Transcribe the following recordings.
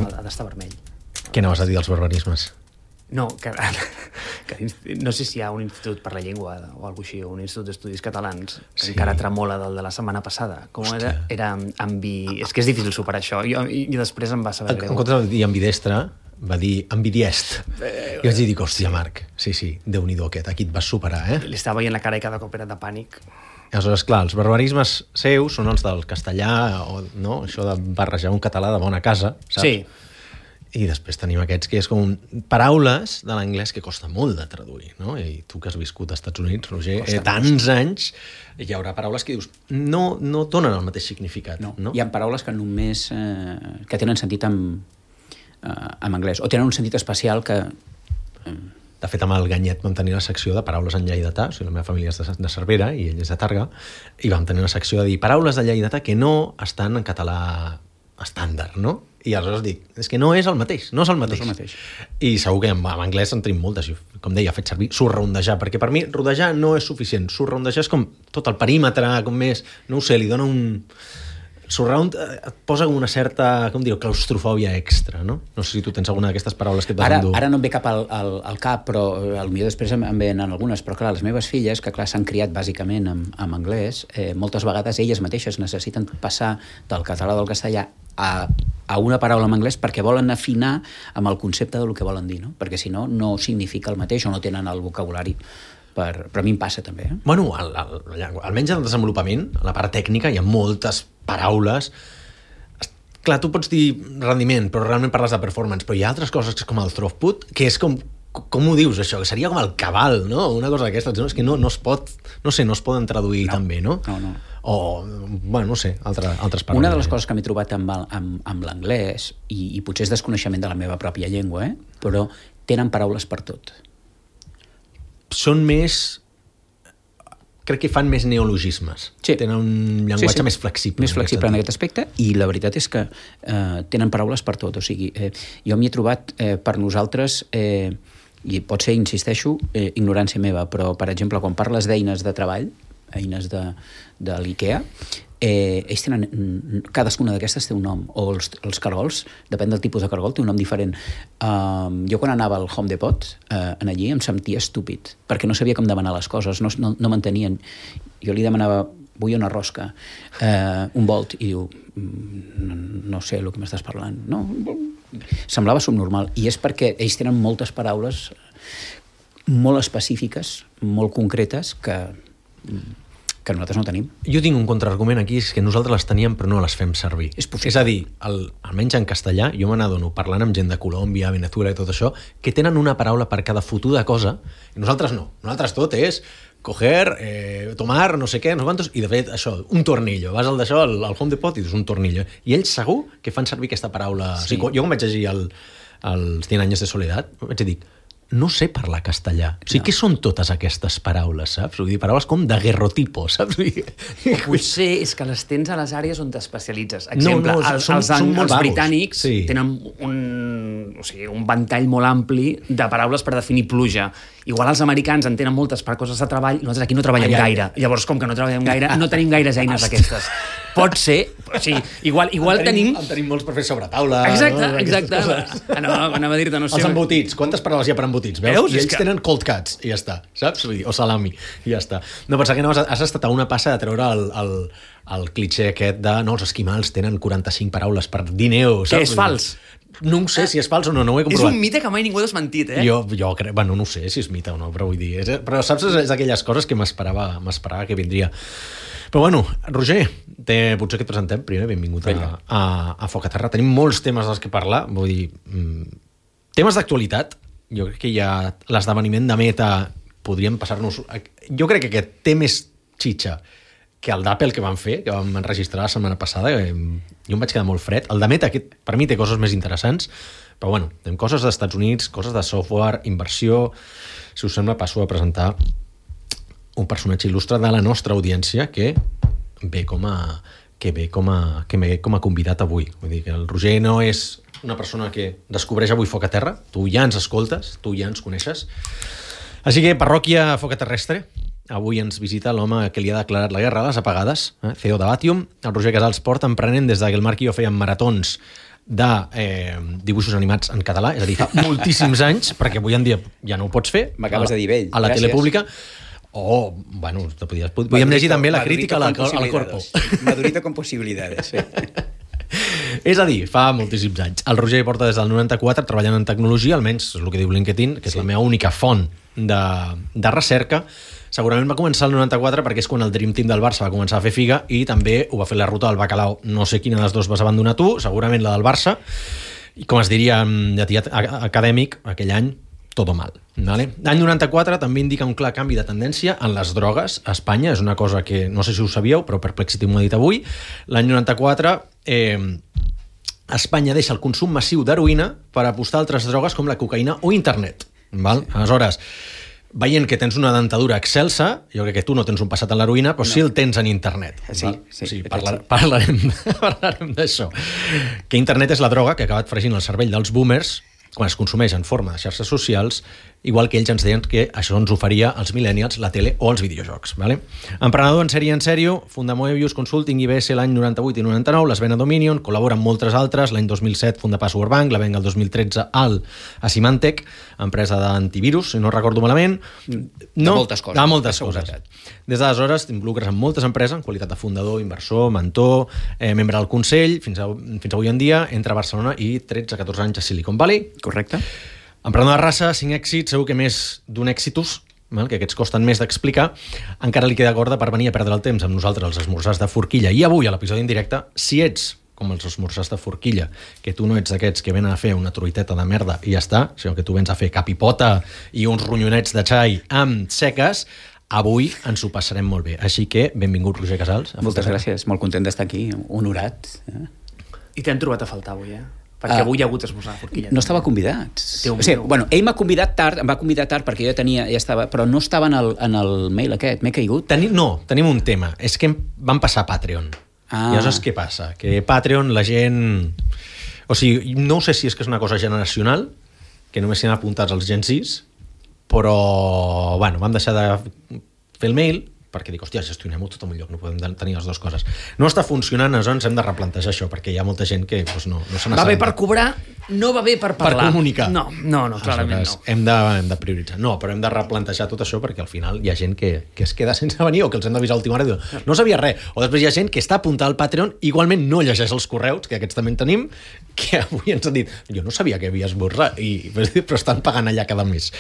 ha d'estar vermell. Què anaves a dir dels barbarismes? No, que no sé si hi ha un institut per la llengua o alguna així, un institut d'estudis catalans que encara tremola del de la setmana passada. Com era és que és difícil superar això. I després em va saber greu. En comptes de dir ambidestre, va dir ambidiest. I vaig dir, hòstia, Marc, sí, Déu-n'hi-do aquest, aquí et vas superar, Li estava veient la cara i cada cop era de pànic. Aleshores, clar, els barbarismes seus són els del castellà, no? Això de barrejar un català de bona casa, saps? Sí. I després tenim aquests que és com paraules de l'anglès que costa molt de traduir, no? I tu que has viscut als Estats Units, Roger, tants anys, hi haurà paraules que dius no donen el mateix significat. No? Hi ha paraules que només que tenen sentit en anglès, o tenen un sentit especial que... De fet, amb el Ganyet vam tenir la secció de paraules en lleidatà, o sigui, la meva família és de Cervera i ell és de Tàrrega, i vam tenir una secció de dir paraules de lleidatà que no estan en català estàndard, no? I aleshores dic, és que no és el mateix, no és el mateix. I segur que en anglès en tenim moltes, com deia, he fet servir surroundejar, perquè per mi rodejar no és suficient, surroundejar és com tot el perímetre, com més, no ho sé, li dona un... Surround et posa una certa, com dir, claustrofòbia extra, no? No sé si tu tens alguna d'aquestes paraules que et vas endur. Ara no em ve cap al cap, però potser després em venen algunes, però clar, les meves filles, que clar, s'han criat bàsicament en anglès, moltes vegades elles mateixes necessiten passar del català o del castellà a una paraula en anglès perquè volen afinar amb el concepte del que volen dir, no? Perquè si no, no significa el mateix o no tenen el vocabulari. Però a mi em passa també. Bueno, almenys en el desenvolupament, a la part tècnica, hi ha moltes paraules. Clar, tu pots dir rendiment, però realment parles de performance, però hi ha altres coses que és com el throughput, que és com ho dius, això? Que seria com el cabal, no? Una cosa d'aquestes, no? És que no es pot, no sé, no es poden traduir tan bé, no? No. O, bueno, no sé, altres paraules. Una de les coses que m'he trobat amb l'anglès, i potser és desconeixement de la meva pròpia llengua, però tenen paraules per tot. Són més... Crec que fan més neologismes. Sí. Tenen un llenguatge més flexible. Més flexible en aquest aspecte, i la veritat és que tenen paraules per tot. O sigui, jo m'hi he trobat per nosaltres, i pot ser, insisteixo, ignorància meva, però, per exemple, quan parles d'eines de treball, eines de l'IKEA, ells tenen, cadascuna d'aquestes té un nom, o els cargols, depèn del tipus de cargol, té un nom diferent. Jo quan anava al Home Depot, allí em sentia estúpid, perquè no sabia com demanar les coses, no m'entenien. Jo li demanava, vull una rosca, un volt, i diu, no sé el que m'estàs parlant. No, semblava subnormal, i és perquè ells tenen moltes paraules molt específiques, molt concretes, que nosaltres no tenim. Jo tinc un contraargument aquí, és que nosaltres les teníem però no les fem servir. És possible. És a dir, almenys en castellà, jo me n'adono, parlant amb gent de Colòmbia, Venezuela i tot això, que tenen una paraula per cada fotuda cosa, i nosaltres no. Nosaltres tot és coger, tomar, no sé què, no sé quantos, i de fet, això, un tornillo. Vas al d'això, al Home Depot, i dius un tornillo. I ells segur que fan servir aquesta paraula. Sí. O sigui, jo quan vaig llegir els 100 anys de soledat, vaig dir, no sé parlar castellà. O sigui, què són totes aquestes paraules, saps? Vull dir, paraules com de guerrotipo, saps? Potser és que les tens a les àrees on t'especialitzes. Exemple, són els britànics tenen un ventall molt ampli de paraules per definir pluja. Igual els americans en tenen moltes per coses de treball, nosaltres aquí no treballem gaire. Llavors, com que no treballem gaire, no tenim gaires eines d'aquestes. Pot ser, o sigui, igual tenim... En tenim molts per fer sobre taula. Exacte. Anava a dir-te, no sé... Els embotits, quantes paraules hi ha per embotits? Veus? I ells tenen cold cuts, i ja està, saps? O salami, i ja està. No, pensar que no, has estat a una passa de treure el clitxé aquest de els esquimals tenen 45 paraules per dir neu, saps? Que és fals. No sé si és fals o no ho he comprovat. És un mite que mai ningú ha desmentit, Jo crec, bueno, no sé si és mite o no, però vull dir... Però saps, és d'aquelles coses que m'esperava que vindria. Però bueno, Roger, potser que et presentem primer, benvingut a Foc a Terra. Tenim molts temes dels que parlar, vull dir, temes d'actualitat. Jo crec que hi ha l'esdeveniment de Meta, podríem passar-nos... Jo crec que aquest té més xitxa que el d'Apple que vam fer, que vam enregistrar la setmana passada, jo em vaig quedar molt fred. El de Meta, aquest, per mi, té coses més interessants, però bueno, tenim coses dels Estats Units, coses de software, inversió... Si us sembla, passo a presentar un personatge il·lustre de la nostra audiència que ve com a convidat avui. Vull dir que el Roger no és una persona que descobreix avui Foc a Terra, tu ja ens escoltes, tu ja ens coneixes. Així que, parròquia Foc a Terrestre, avui ens visita l'home que li ha declarat la guerra a les apagades, CEO de Batium. El Roger Casals porta emprenent des que el Marc i jo fèiem maratons de dibuixos animats en català, és a dir, fa moltíssims anys, perquè avui en dia ja no ho pots fer. M'acabes de dir vell. A la tele pública. Bueno, podíem llegir també la crítica al Corpo. Madurito con posibilidades, sí. És a dir, fa moltíssims anys. El Roger porta des del 94 treballant en tecnologia, almenys és el que diu LinkedIn, que és la meva única font de recerca. Segurament va començar el 94 perquè és quan el Dream Team del Barça va començar a fer figa i també ho va fer la ruta del bacalao. No sé quina de les dues vas abandonar tu, segurament la del Barça. I com es diria en llatí acadèmic, aquell any, todo mal. Vale? L'any 94 també indica un clar canvi de tendència en les drogues a Espanya. És una cosa que no sé si ho sabíeu, però Perplexity m'ho ha dit avui. L'any 94 Espanya deixa el consum massiu d'heroïna per apostar a altres drogues com la cocaïna o internet. Val? Aleshores, veient que tens una dentadura excelsa, jo crec que tu no tens un passat en l'heroïna, però sí el tens en internet. Sí, parlarem d'això. Que internet és la droga que ha acabat fregint el cervell dels boomers quan es consumeix en forma de xarxes socials, igual que ells ens deien que això ens oferia als millennials, la tele o els videojocs. Vale? Emprenedor en sèrio, funda Moebius Consulting IBS l'any 98 i 99, les ven a Dominion, col·labora amb moltes altres, l'any 2007 funda Password Bank, la ven el 2013 a Symantec, empresa d'antivirus, si no recordo malament. De moltes coses. De moltes coses. Des d'aleshores t'involucres en moltes empreses, en qualitat de fundador, inversor, mentor, membre del Consell, fins avui en dia, entre Barcelona i 13-14 anys a Silicon Valley. Correcte. Emprenedor de raça, 5 èxits, segur que més d'un èxitus, que aquests costen més d'explicar, encara li queda corda per venir a perdre el temps amb nosaltres als esmorzars de forquilla. I avui, a l'episodi en directe, si ets com els esmorzars de forquilla, que tu no ets d'aquests que venen a fer una truiteta de merda i ja està, sinó que tu vens a fer capipota i uns ronyonets de xai amb seques, avui ens ho passarem molt bé. Així que, benvingut, Roger Casals. Moltes gràcies, molt content d'estar aquí, honorat. I t'hem trobat a faltar avui, perquè avui hi ha hagut esmorzar de forquilla. No estava convidat. Ell m'ha convidat tard, em va convidar tard perquè jo ja estava, però no estava en el mail aquest, m'he caigut. Tenim un tema, és que vam passar a Patreon. I aleshores què passa? Que Patreon la gent... O sigui, no sé si és que és una cosa generacional, que només s'hi han apuntats els Gen 6, però, bueno, vam deixar de fer el mail perquè dic, hòstia, gestionem-ho tot en un lloc, no podem tenir les dues coses. No està funcionant, aleshores hem de replantejar això, perquè hi ha molta gent que no se n'assabenta. Va bé per cobrar, no va bé per parlar. Per comunicar. No, clarament no. Hem de prioritzar. No, però hem de replantejar tot això perquè al final hi ha gent que es queda sense venir o que els hem d'avisar a última hora i diu, no sabia res. O després hi ha gent que està apuntada al Patreon, igualment no llegeix els correus, que aquests també en tenim, que avui ens han dit, jo no sabia que havia esmorzar, però estan pagant allà cada mes.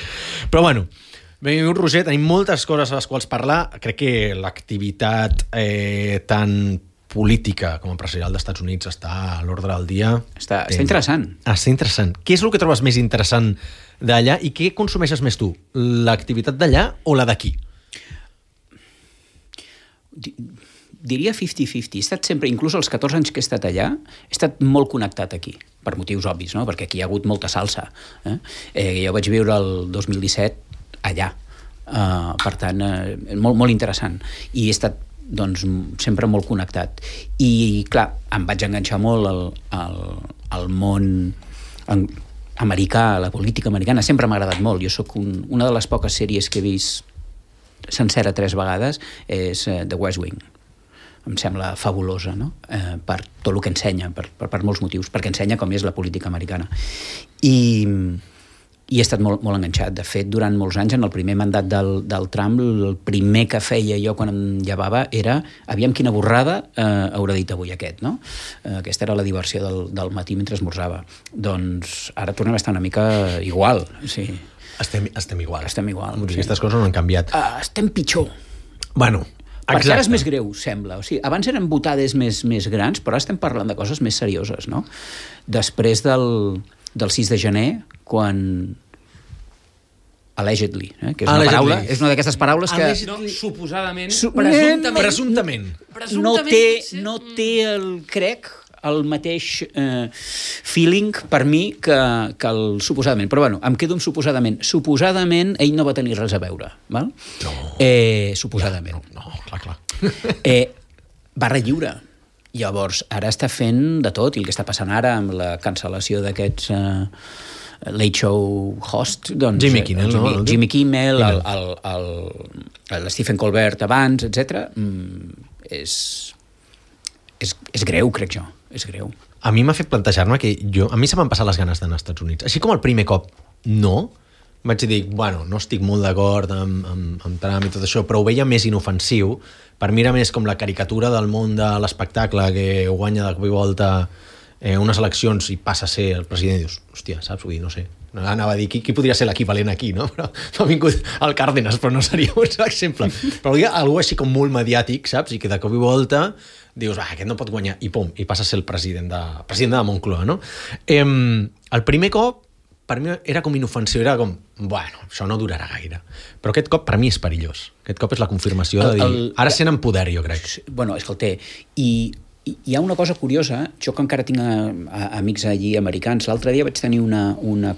Però bueno, benvingut, Roger, tenim moltes coses a les quals parlar. Crec que l'activitat tan política com a empresarial dels Estats Units està a l'ordre del dia. Està interessant. Està interessant. Què és el que trobes més interessant d'allà i què consumeixes més tu? L'activitat d'allà o la d'aquí? Diria 50-50. He estat sempre, inclús els 14 anys que he estat allà, he estat molt connectat aquí, per motius obvis, no? Perquè aquí hi ha hagut molta salsa. Jo vaig viure el 2017 allà. Per tant, molt interessant. I he estat sempre molt connectat. I, clar, em vaig enganxar molt al món americà, a la política americana. Sempre m'ha agradat molt. Jo sóc una de les poques sèries que he vist sencera 3 vegades és The West Wing. Em sembla fabulosa, no? Per tot el que ensenya, per molts motius, perquè ensenya com és la política americana. I he estat molt enganxat. De fet, durant molts anys, en el primer mandat del Trump, el primer que feia jo quan em llevava era aviam quina borrada haurà dit avui aquest, no? Aquesta era la diversió del matí mentre esmorzava. Doncs ara tornem a estar una mica igual. Sí. Estem igual. Estem igual. Aquestes coses no han canviat. Estem pitjor. Bueno, perquè ara és més greu, sembla. O sigui, abans eren botades més grans, però ara estem parlant de coses més serioses, no? Després del 6 de gener, quan allegedly, que és una paraula, és una d'aquestes paraules que... Suposadament, presumptament. No té el mateix feeling per mi que el suposadament. Però bueno, em quedo amb suposadament. Suposadament ell no va tenir res a veure, val? No. Suposadament. No, clar. Barra lliure. Llavors, ara està fent de tot, i el que està passant ara amb la cancel·lació d'aquests late show host, doncs... Jimmy Kimmel, Jimmy Kimmel, el Stephen Colbert abans, etc. És greu, crec jo. És greu. a mi m'ha fet plantejar-me que a mi se m'han passat les ganes d'anar als Estats Units. Així com el primer cop no, vaig dir, bueno, no estic molt d'acord amb Trump i tot això, però ho veia més inofensiu. Per mi era més com la caricatura del món de l'espectacle que guanya de cop i volta unes eleccions i passa a ser el president i dius, hòstia, saps? Vull dir, no sé. Anava a dir, qui podria ser l'equivalent aquí, no? Però m'ha vingut el Cárdenas, però no seria un exemple. Però hi ha algú així com molt mediàtic, saps? I que de cop i volta dius, aquest no pot guanyar, i pum, i passa a ser el president de Moncloa, no? El primer cop, per mi era com inofensiu, era com, bueno, això no durarà gaire. Però aquest cop per mi és perillós. Aquest cop és la confirmació de dir, ara sent en poder, jo crec. Bueno, escolta, i hi ha una cosa curiosa, jo que encara tinc amics allí americans, l'altre dia vaig tenir una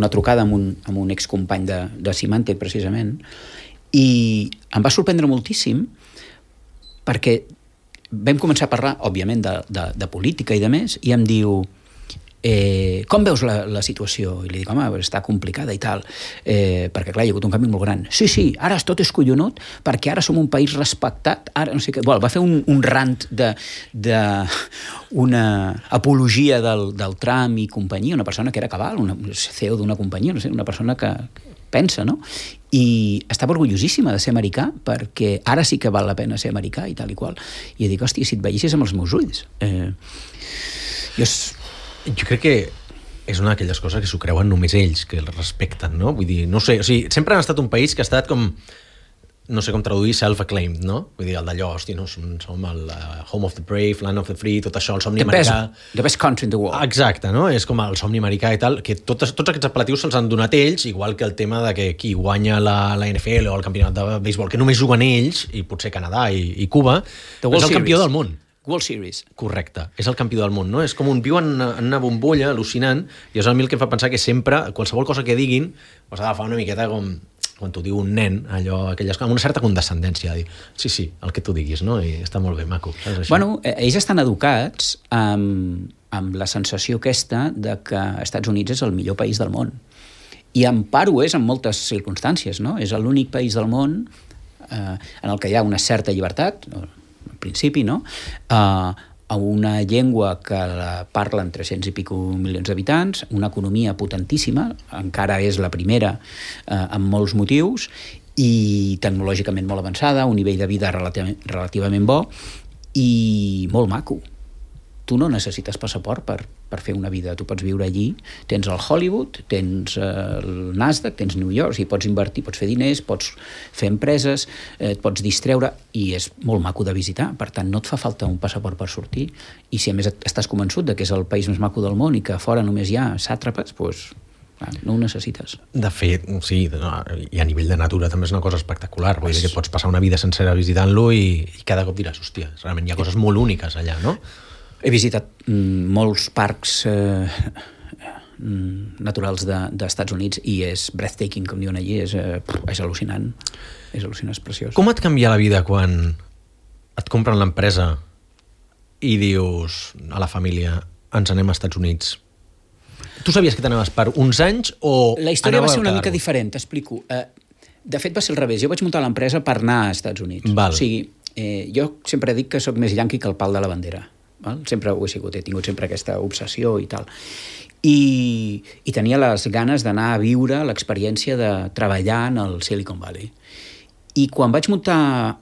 trucada amb un excompany de Symantec, precisament, i em va sorprendre moltíssim perquè vam començar a parlar, òbviament, de política i de més, i em diu, com veus la situació? I li dic, home, està complicada i tal, perquè clar, hi ha hagut un canvi molt gran. Sí, ara tot és collonut perquè ara som un país respectat, ara no sé què. Bueno, va fer un rant una apologia del Trump i companyia, una persona que era cabal, una CEO d'una companyia, no sé, una persona que pensa, no? I estava orgullosíssima de ser americà perquè ara sí que val la pena ser americà i tal i qual. I dic, hòstia, si et veiessis amb els meus ulls. Jo crec que és una d'aquelles coses que s'ho creuen només ells, que el respecten, no? Vull dir, no sé, o sigui, sempre han estat un país que ha estat com, no sé com traduir, self-acclaimed, no? Vull dir, el d'allò, hosti, no, som el home of the brave, land of the free, tot això, el somni americà. The best country in the world. Exacte, no? És com el somni americà i tal, que tots aquests apel·latius se'ls han donat ells, igual que el tema de que qui guanya la NFL o el campionat de béisbol, que només juguen ells, i potser Canadà i Cuba, és el campió del món. World Series. Correcte, és el campió del món, no? És com viu en una bombolla al·lucinant, i és el que em fa pensar que sempre, qualsevol cosa que diguin, has d'agafar una miqueta com quan t'ho diu un nen, allò, amb una certa condescendència, dir, sí, el que tu diguis, no? I està molt bé, maco. Saps, això? Bueno, ells estan educats amb la sensació aquesta de que Estats Units és el millor país del món. I en part ho és en moltes circumstàncies, no? És l'únic país del món en el que hi ha una certa llibertat, principi, no? A una llengua que la parlen 300 i pico milions d'habitants, una economia potentíssima, encara és la primera en molts motius, i tecnològicament molt avançada, un nivell de vida relativament bo i molt maco. Tu no necessites passaport per fer una vida. Tu pots viure allí, tens el Hollywood, tens el Nasdaq, tens New York, i pots invertir, pots fer diners, pots fer empreses, et pots distreure, i és molt maco de visitar. Per tant, no et fa falta un passaport per sortir, i si a més estàs convençut de que és el país més maco del món i que a fora només hi ha sàtrapes, doncs no ho necessites. De fet, sí, i a nivell de natura també és una cosa espectacular. Vull dir que pots passar una vida sencera visitant-lo i cada cop diràs, hòstia, realment hi ha coses molt úniques allà, no? He visitat molts parcs naturals d'Estats Units i és breathtaking, com diuen allí, és al·lucinant. És al·lucinant, és preciós. Com et canvia la vida quan et compren l'empresa i dius a la família, ens anem als Estats Units? Tu sabies que t'anaves per uns anys o... La història va ser una mica diferent, t'explico. De fet, va ser al revés. Jo vaig muntar l'empresa per anar als Estats Units. Val. O sigui, jo sempre dic que sóc més yanqui que el pal de la bandera. Val? Sempre ho he sigut, he tingut sempre aquesta obsessió i tal. I tenia les ganes d'anar a viure l'experiència de treballar en el Silicon Valley. I quan vaig muntar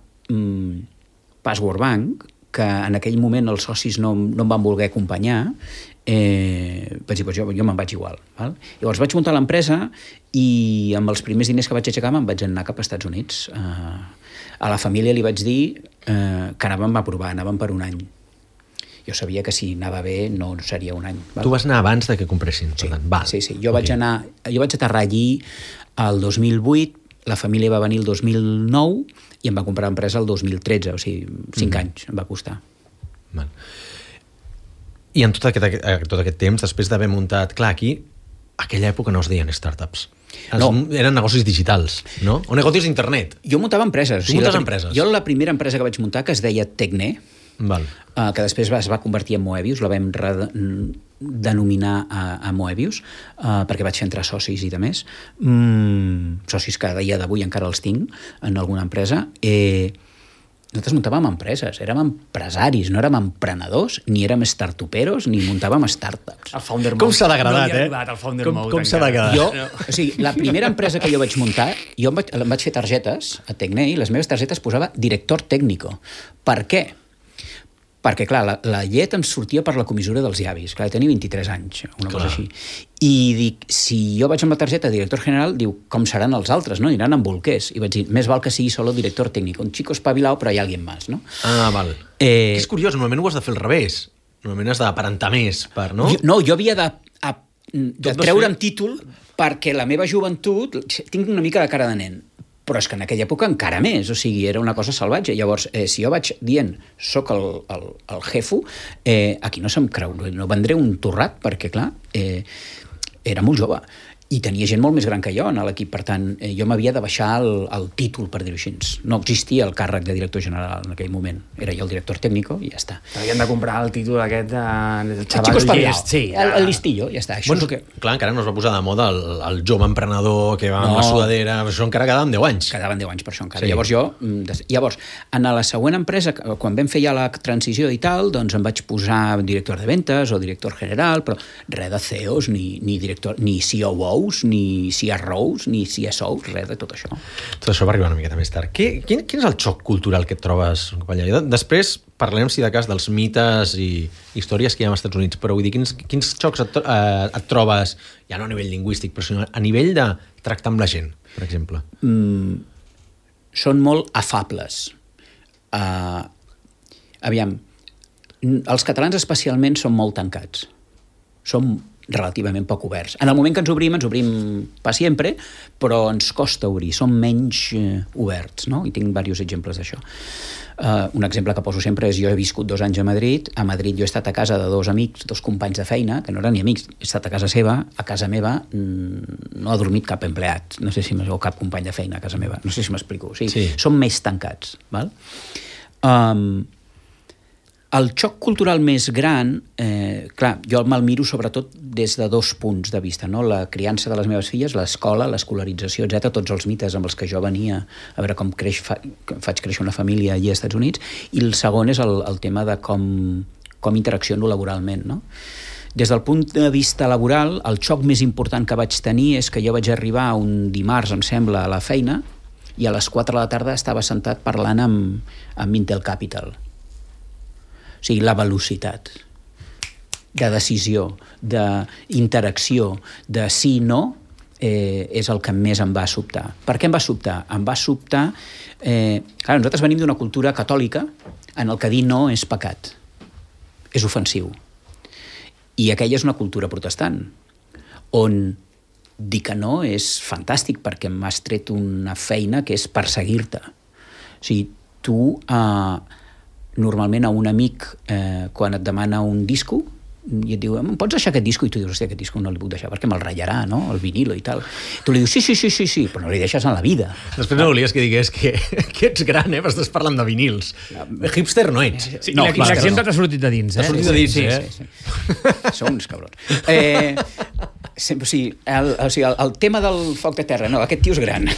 Password Bank, que en aquell moment els socis no em van voler acompanyar, vaig dir, jo me'n vaig igual. Val? Llavors vaig muntar l'empresa i amb els primers diners que vaig aixecar me'n vaig anar cap als Estats Units. A la família li vaig dir que anàvem a provar, anàvem per un any. Jo sabia que si anava bé no seria un any. Val? Tu vas anar abans de que compressin. Sí, Val. sí. Jo vaig aterrar allí el 2008, la família va venir el 2009 i em va comprar l'empresa el 2013, o sigui, 5 anys em va costar. Val. I en tot aquest temps, després d'haver muntat... Clar, aquí, a aquella època no es deien startups. Eren negocis digitals, no? O negocis d'internet. Jo muntava empreses. Tu muntes empreses? Jo la primera empresa que vaig muntar, que es deia Tecne, Val. Que després es va convertir en Moebius, la vam denominar a Moebius, perquè vaig fer entrar socis i de més, socis que a dia d'avui encara els tinc en alguna empresa. nosaltres muntàvem empreses, érem empresaris, no érem emprenedors, ni érem startuperos, ni muntàvem startups. El Founder Mode. Com s'ha degradat, no arribat al Founder Mode. Com s'ha degradat? O sigui, la primera empresa que jo vaig muntar, jo em vaig fer targetes a Tecne i les meves targetes posava director técnico. Per què? Perquè, clar, la llet em sortia per la comissura dels llavis. Clar, tenia 23 anys, una cosa així. I dic, si jo vaig amb la targeta de director general, diu, com seran els altres, no? Aniran amb bolquers. I vaig dir, més val que sigui solo director técnico. Un chico espabilao, però hi ha alguien más, no? Ah, val. És curiós, normalment ho has de fer al revés. Normalment has d'aparentar més, no? Jo havia de treure'm títol perquè la meva joventut... Tinc una mica de cara de nen, però és que en aquella època encara més, o sigui, era una cosa salvatge. Llavors, si jo vaig dient soc el jefo, aquí no se'm creu, no vendré un torrat, perquè, clar, era molt jove. I tenia gent molt més gran que jo en l'equip, per tant, jo m'havia de baixar el títol, per dir-ho així. No existia el càrrec de director general en aquell moment. Era jo el director tècnico i ja està. Havien de comprar el títol aquest del xaval Chico espabilao. Sí, el listillo, ja està. Això bueno, és que... Clar, encara no es va posar de moda el jove emprenedor que va amb la sudadera, això encara quedaven 10 anys. Quedaven 10 anys per això encara. Sí. Llavors, en la següent empresa, quan vam fer ja la transició i tal, doncs em vaig posar director de ventes o director general, però res de CEOs, ni director, ni COOs, ni CROs, ni CSOs, res de tot això. Tot això va arribar una miqueta més tard. Quin és el xoc cultural que et trobes, companya? Després parlem, si de cas, dels mites i històries que hi ha als Estats Units, però vull dir, quins xocs et trobes, ja no a nivell lingüístic, però sinó a nivell de tractar amb la gent, per exemple? Són molt afables. Aviam, els catalans especialment són molt tancats. Som relativament poc oberts. En el moment que ens obrim per sempre, però ens costa obrir, som menys oberts, no? I tinc diversos exemples d'això. Un exemple que poso sempre és, jo he viscut 2 anys a Madrid jo he estat a casa de 2 amics, 2 companys de feina, que no eren ni amics, he estat a casa seva, a casa meva no ha dormit cap empleat, no sé si o cap company de feina a casa meva, no sé si m'explico, o sigui, sí. Som més tancats, val? El xoc cultural més gran, clar, jo me'l miro sobretot des de 2 punts de vista, no? La criança de les meves filles, l'escola, l'escolarització, etc., tots els mites amb els que jo venia a veure com faig créixer una família allà als Estats Units, i el segon és el tema de com interacciono laboralment, no? Des del punt de vista laboral, el xoc més important que vaig tenir és que jo vaig arribar un dimarts, em sembla, a la feina, i a les 4 de la tarda estava sentat parlant amb Intel Capital. O sigui, la velocitat de decisió, d'interacció, de sí i no, és el que més em va sobtar. Per què em va sobtar? Em va sobtar... Clar, nosaltres venim d'una cultura catòlica en el que dir no és pecat, és ofensiu. I aquella és una cultura protestant, on dir que no és fantàstic, perquè m'has tret una feina que és perseguir-te. O sigui, tu... normalment a un amic, quan et demana un disco, i et diu, em pots deixar aquest disco? I tu dius, hòstia, aquest disco no li puc deixar, perquè me'l ratllarà, no? El vinilo i tal. Tu li dius, sí, però no li deixes en la vida. Després no volies que digués que ets gran, però estàs parlant de vinils. Hipster no ets. Sí, no, i l'exemple t'ha sortit de dins, T'ha sortit de dins, Sí. Són uns cabrons. El tema del foc de terra, no, aquest tio és gran.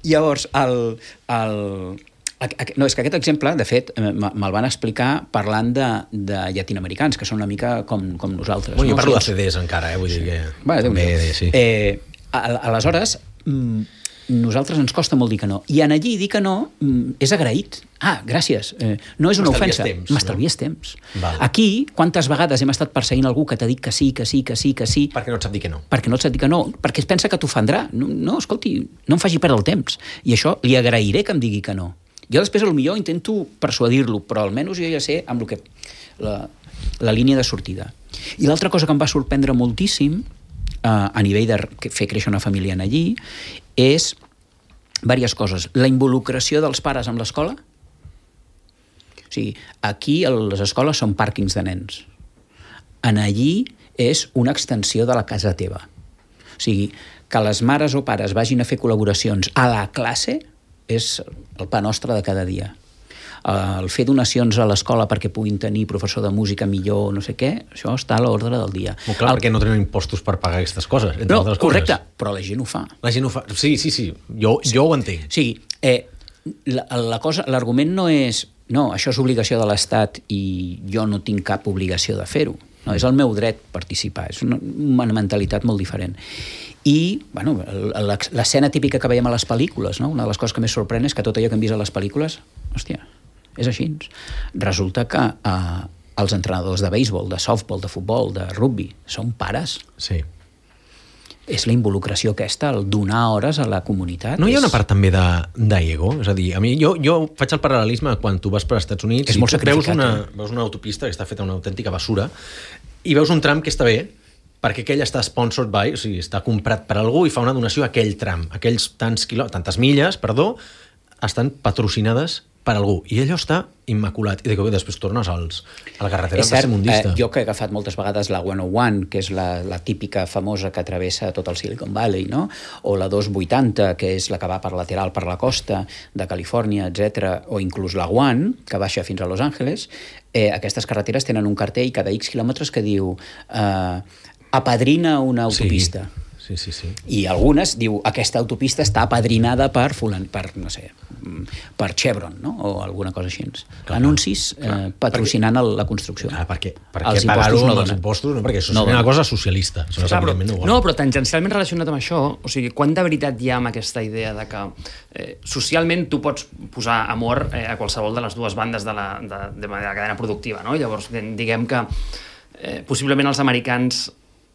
Llavors, no, és que aquest exemple, de fet, me'l van explicar parlant de llatinoamericans, que són una mica com nosaltres. Jo parlo de CDs encara, vull dir que... També, sí. Aleshores, nosaltres ens costa molt dir que no. I en allí dir que no és agraït. Gràcies. No és una ofensa. M'estalvies temps. Aquí, quantes vegades hem estat perseguint algú que t'ha dit que sí. Perquè no et sap dir que no. Perquè no et sap dir que no. Perquè es pensa que t'ofendrà. No, escolti, no em faci perdre el temps. I això li agrairé que em digui que no. Jo després, potser intento persuadir-lo, però almenys jo ja sé amb el que la línia de sortida. I l'altra cosa que em va sorprendre moltíssim a nivell de fer créixer una família en allí és diverses coses. La involucració dels pares amb l'escola. O sigui, aquí les escoles són pàrquings de nens. En allí és una extensió de la casa teva. O sigui, que les mares o pares vagin a fer col·laboracions a la classe és el pa nostre de cada dia. El fer donacions a l'escola perquè puguin tenir professor de música millor, no sé què, això està a l'ordre del dia. Molt clar, perquè no tenen impostos per pagar aquestes coses, entre altres correcte, coses. Però la gent ho fa. La gent ho fa, sí, jo ho entenc. Sí, L'argument no és no, això és obligació de l'Estat i jo no tinc cap obligació de fer-ho. No, és el meu dret participar, és una mentalitat molt diferent. I, bueno, l'escena típica que veiem a les pel·lícules, no? Una de les coses que més sorprèn és que tot allò que hem vist a les pel·lícules, hòstia, és així. Resulta que els entrenadors de béisbol, de softball, de futbol, de rugby, són pares. Sí. És la involucració aquesta, el donar hores a la comunitat. No hi ha una part també d'ego? És a dir, a mi, jo faig el paral·lelisme quan tu vas per als Estats Units i veus una autopista que està feta una autèntica basura i veus un tram que està bé perquè aquell està sponsored by, o sigui, està comprat per algú i fa una donació a aquell tram. Aquells tantes milles, estan patrocinades per algú. I allò està immaculat. I després tornes a la carretera tercermundista. Jo que he agafat moltes vegades la 101, que és la típica famosa que travessa tot el Silicon Valley, no? O la 280, que és la que va per lateral per la costa de Califòrnia, etc. O inclús la One, que baixa fins a Los Angeles. Aquestes carreteres tenen un cartell cada X quilòmetres que diu apadrina una autopista. Sí. I algunes diu aquesta autopista està apadrinada per Chevron, no? O alguna cosa així. Anuncis patrocinant la construcció. Perquè pagar-ho amb els impostos, no? Perquè això és una cosa socialista. No, però tangencialment relacionat amb això, o sigui, quant de veritat hi ha amb aquesta idea de que socialment tu pots posar amor a qualsevol de les dues bandes de la cadena productiva, no? Llavors, diguem que possiblement els americans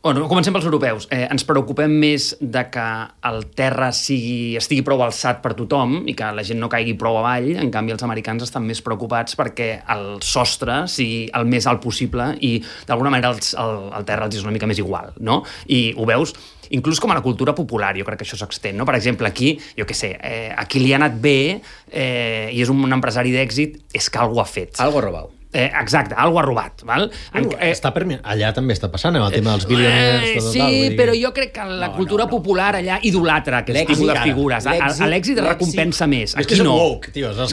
comencem pels europeus. Ens preocupem més de que el terra estigui prou alçat per tothom i que la gent no caigui prou avall. En canvi, els americans estan més preocupats perquè el sostre sigui el més alt possible i, d'alguna manera, el terra els és una mica més igual, no? I ho veus inclús com a la cultura popular, jo crec que això s'extén, no? Per exemple, aquí, jo què sé, a qui li ha anat bé i és un empresari d'èxit, és que algú ha fet. Algo robat. Exacte, algo ha robat. Val? Allà també està passant, el tema dels bilioners. Sí, però jo crec que la cultura popular allà idolatra aquest tipus de figures. L'èxit recompensa més. Aquí no.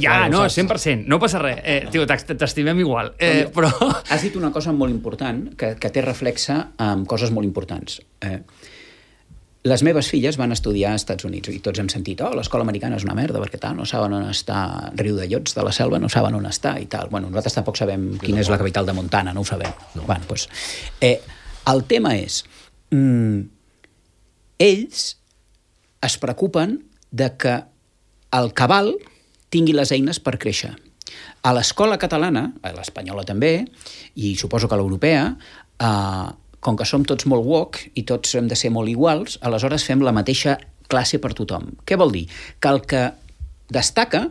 Ja, no, 100%. No passa res. T'estimem igual. Però has dit una cosa molt important que té reflexa amb coses molt importants. Les meves filles van estudiar als Estats Units i tots hem sentit, l'escola americana és una merda perquè tal, no saben on està Riu de Llots de la Selva, no saben on està i tal. Bueno, nosaltres tampoc sabem quina és la capital de Montana, no ho sabem. No. Bueno, doncs, el tema és ells es preocupen de que el cabal tingui les eines per créixer. A l'escola catalana, a l'espanyola també, i suposo que a l'europea, com que som tots molt woke i tots hem de ser molt iguals, aleshores fem la mateixa classe per tothom. Què vol dir? Que el que destaca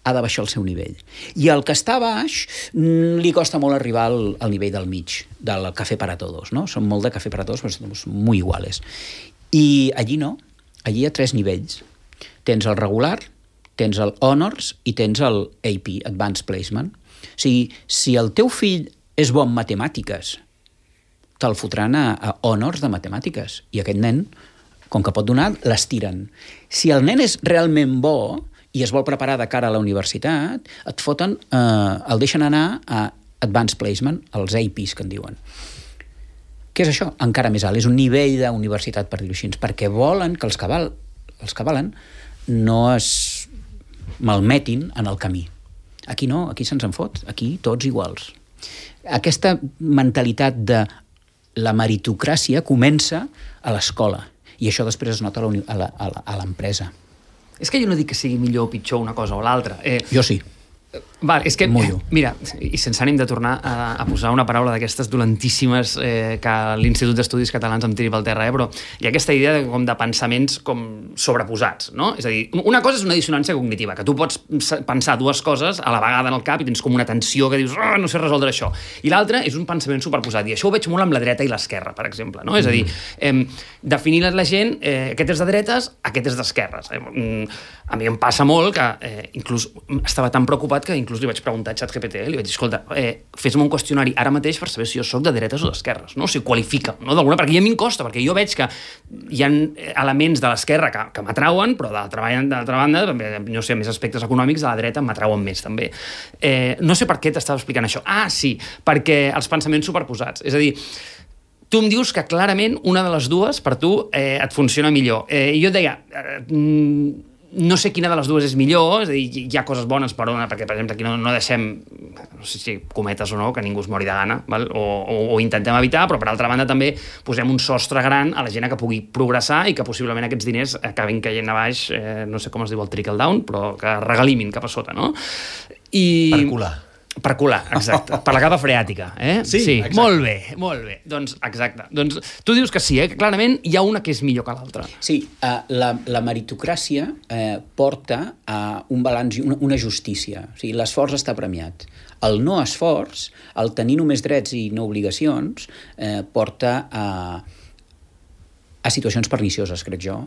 ha de baixar el seu nivell. I el que està baix li costa molt arribar al nivell del mig, del café para todos, no? Som molt de café para todos, però som molt iguales. I allí no. Allí hi ha 3 nivells. Tens el regular, tens el honors i tens el AP, Advanced Placement. O sigui, si el teu fill és bo en matemàtiques, te'l fotran a honors de matemàtiques. I aquest nen, com que pot donar, les tiren. Si el nen és realment bo i es vol preparar de cara a la universitat, et foten, el deixen anar a Advanced Placement, els APs, que en diuen. Què és això? Encara més alt. És un nivell d'universitat, per dir-ho així, perquè volen que els que valen no es malmetin en el camí. Aquí no, aquí se'ns en fot. Aquí tots iguals. Aquesta mentalitat de la meritocràcia comença a l'escola i això després es nota a l'empresa. És que jo no dic que sigui millor o pitjor una cosa o l'altra. Jo sí. Val, és que, mira, i sense ànim de tornar a posar una paraula d'aquestes dolentíssimes que l'Institut d'Estudis Catalans em tiri pel terra, però hi ha aquesta idea de pensaments com sobreposats, no? És a dir, una cosa és una dissonància cognitiva, que tu pots pensar dues coses a la vegada en el cap i tens com una tensió que dius, no sé resoldre això. I l'altra és un pensament superposat, i això ho veig molt amb la dreta i l'esquerra, per exemple, no? És a dir, definir la gent, aquest és de dretes, aquest és d'esquerres. A mi em passa molt que inclús estava tan preocupat que inclús li vaig preguntar a ChatGPT, li vaig dir, escolta, fes-me un qüestionari ara mateix per saber si jo soc de dretes o d'esquerres, no? O sigui, qualifica, no? D'alguna, perquè ja a mi em costa, perquè jo veig que hi ha elements de l'esquerra que m'atrauen, però d'altra banda, no sé, més aspectes econòmics de la dreta m'atrauen més, també. No sé per què t'estava explicant això. Ah, sí, perquè els pensaments superposats. És a dir, tu em dius que clarament una de les dues per tu et funciona millor. I jo et deia, no sé quina de les dues és millor, és a dir, hi ha coses bones per una, perquè, per exemple, aquí no deixem, no sé si cometes o no, que ningú es mori de gana, val? O intentem evitar, però per altra banda també posem un sostre gran a la gent que pugui progressar i que possiblement aquests diners acabin caient a baix, no sé com es diu el trickle down, però que regalimin cap a sota, no? Per colar, exacte. Per la capa freàtica, Sí, exacte. Molt bé. Doncs, exacte. Doncs tu dius que sí, que clarament hi ha una que és millor que l'altra. Sí, la meritocràcia porta a un balanç i una justícia. O sigui, l'esforç està premiat. El no esforç, el tenir només drets i no obligacions, porta a situacions pernicioses, crec jo,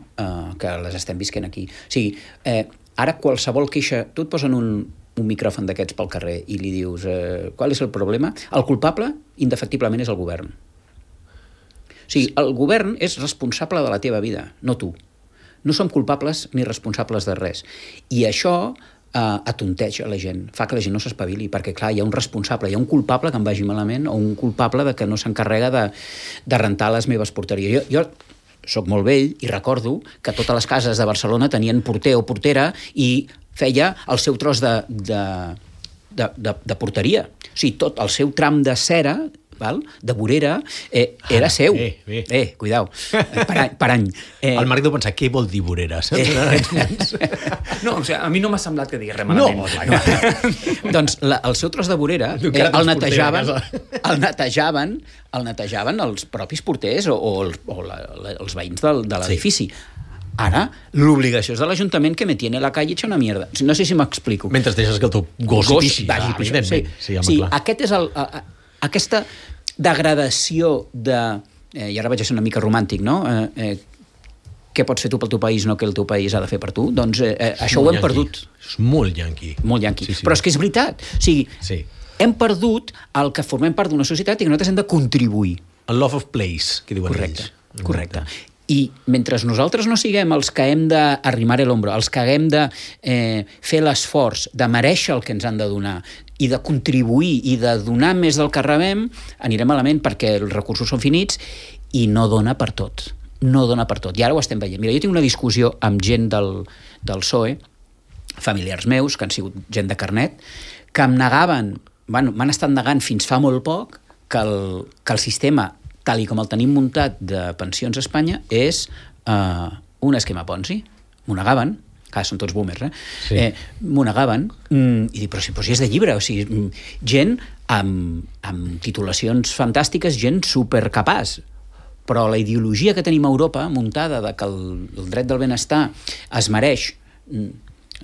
que les estem visquent aquí. O sigui, ara qualsevol queixa... Tu et posen un micròfon d'aquests pel carrer i li dius qual és el problema? El culpable, indefectiblement, és el govern. O sigui, el govern és responsable de la teva vida, no tu. No som culpables ni responsables de res. I això atonteja la gent, fa que la gent no s'espavili, perquè, clar, hi ha un responsable, hi ha un culpable que em vagi malament o un culpable de que no s'encarrega de rentar les meves porteries. Jo soc molt vell i recordo que totes les cases de Barcelona tenien porter o portera i feia el seu tros de porteria. O sigui, tot el seu tram de cera, val? De vorera, era seu. Cuidao, per any. El Marc deu pensar, què vol dir vorera? No, o sigui, a mi no m'ha semblat que digués res malament. No. Doncs el seu tros de vorera el netejaven els propis porters o els veïns de l'edifici. Ara, l'obligació és de l'Ajuntament que me tiene la calle hecha una mierda. No sé si m'explico. Mentre deixes que el teu gos pixi. Sí, aquest és aquesta degradació de... I ara vaig a ser una mica romàntic, no? Què pots fer tu pel teu país, no que el teu país ha de fer per tu? Doncs això ho hem perdut. És molt yanqui. Molt yanqui. Sí. Però és que és veritat. O sigui, hem perdut el que formem part d'una societat i que nosaltres hem de contribuir. El love of place, que diuen ells. Correcte. I mentre nosaltres no siguem els que hem d'arrimar l'ombro, els que haguem de fer l'esforç de merèixer el que ens han de donar i de contribuir i de donar més del que rebem, anirem malament perquè els recursos són finits i no dona per tot. No dona per tot. I ara ho estem veient. Mira, jo tinc una discussió amb gent del PSOE, familiars meus, que han sigut gent de carnet, que em negaven, m'han estat negant fins fa molt poc que el sistema tal i com el tenim muntat de pensions a Espanya, és un esquema Ponzi. M'ho negaven, són tots boomers, m'ho negaven, i dic, però si és de llibre, o sigui, gent amb titulacions fantàstiques, gent supercapaç, però la ideologia que tenim a Europa, muntada de que el dret del benestar es mereix,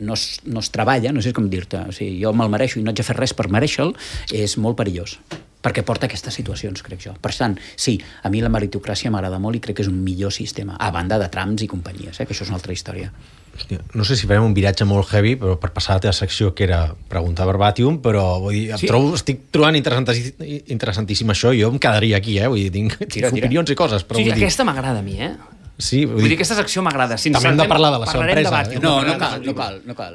no es treballa, no sé com dir-te, o sigui, jo me'l mereixo i no haig de fer res per mereixe'l, és molt perillós, perquè porta aquestes situacions, crec jo. Per tant, sí, a mi la meritocràcia m'agrada molt i crec que és un millor sistema, a banda de trams i companyies, que això és una altra història. Hòstia, no sé si farem un viratge molt heavy, però per passar a la teva secció, que era preguntar verbatim, però vull dir, estic trobant interessantíssim això, i jo em quedaria aquí, vull dir, tinc opinions i coses, però vull dir... Aquesta m'agrada a mi, Sí, vull dir, aquesta secció m'agrada. També hem de parlar de la seva empresa. No cal.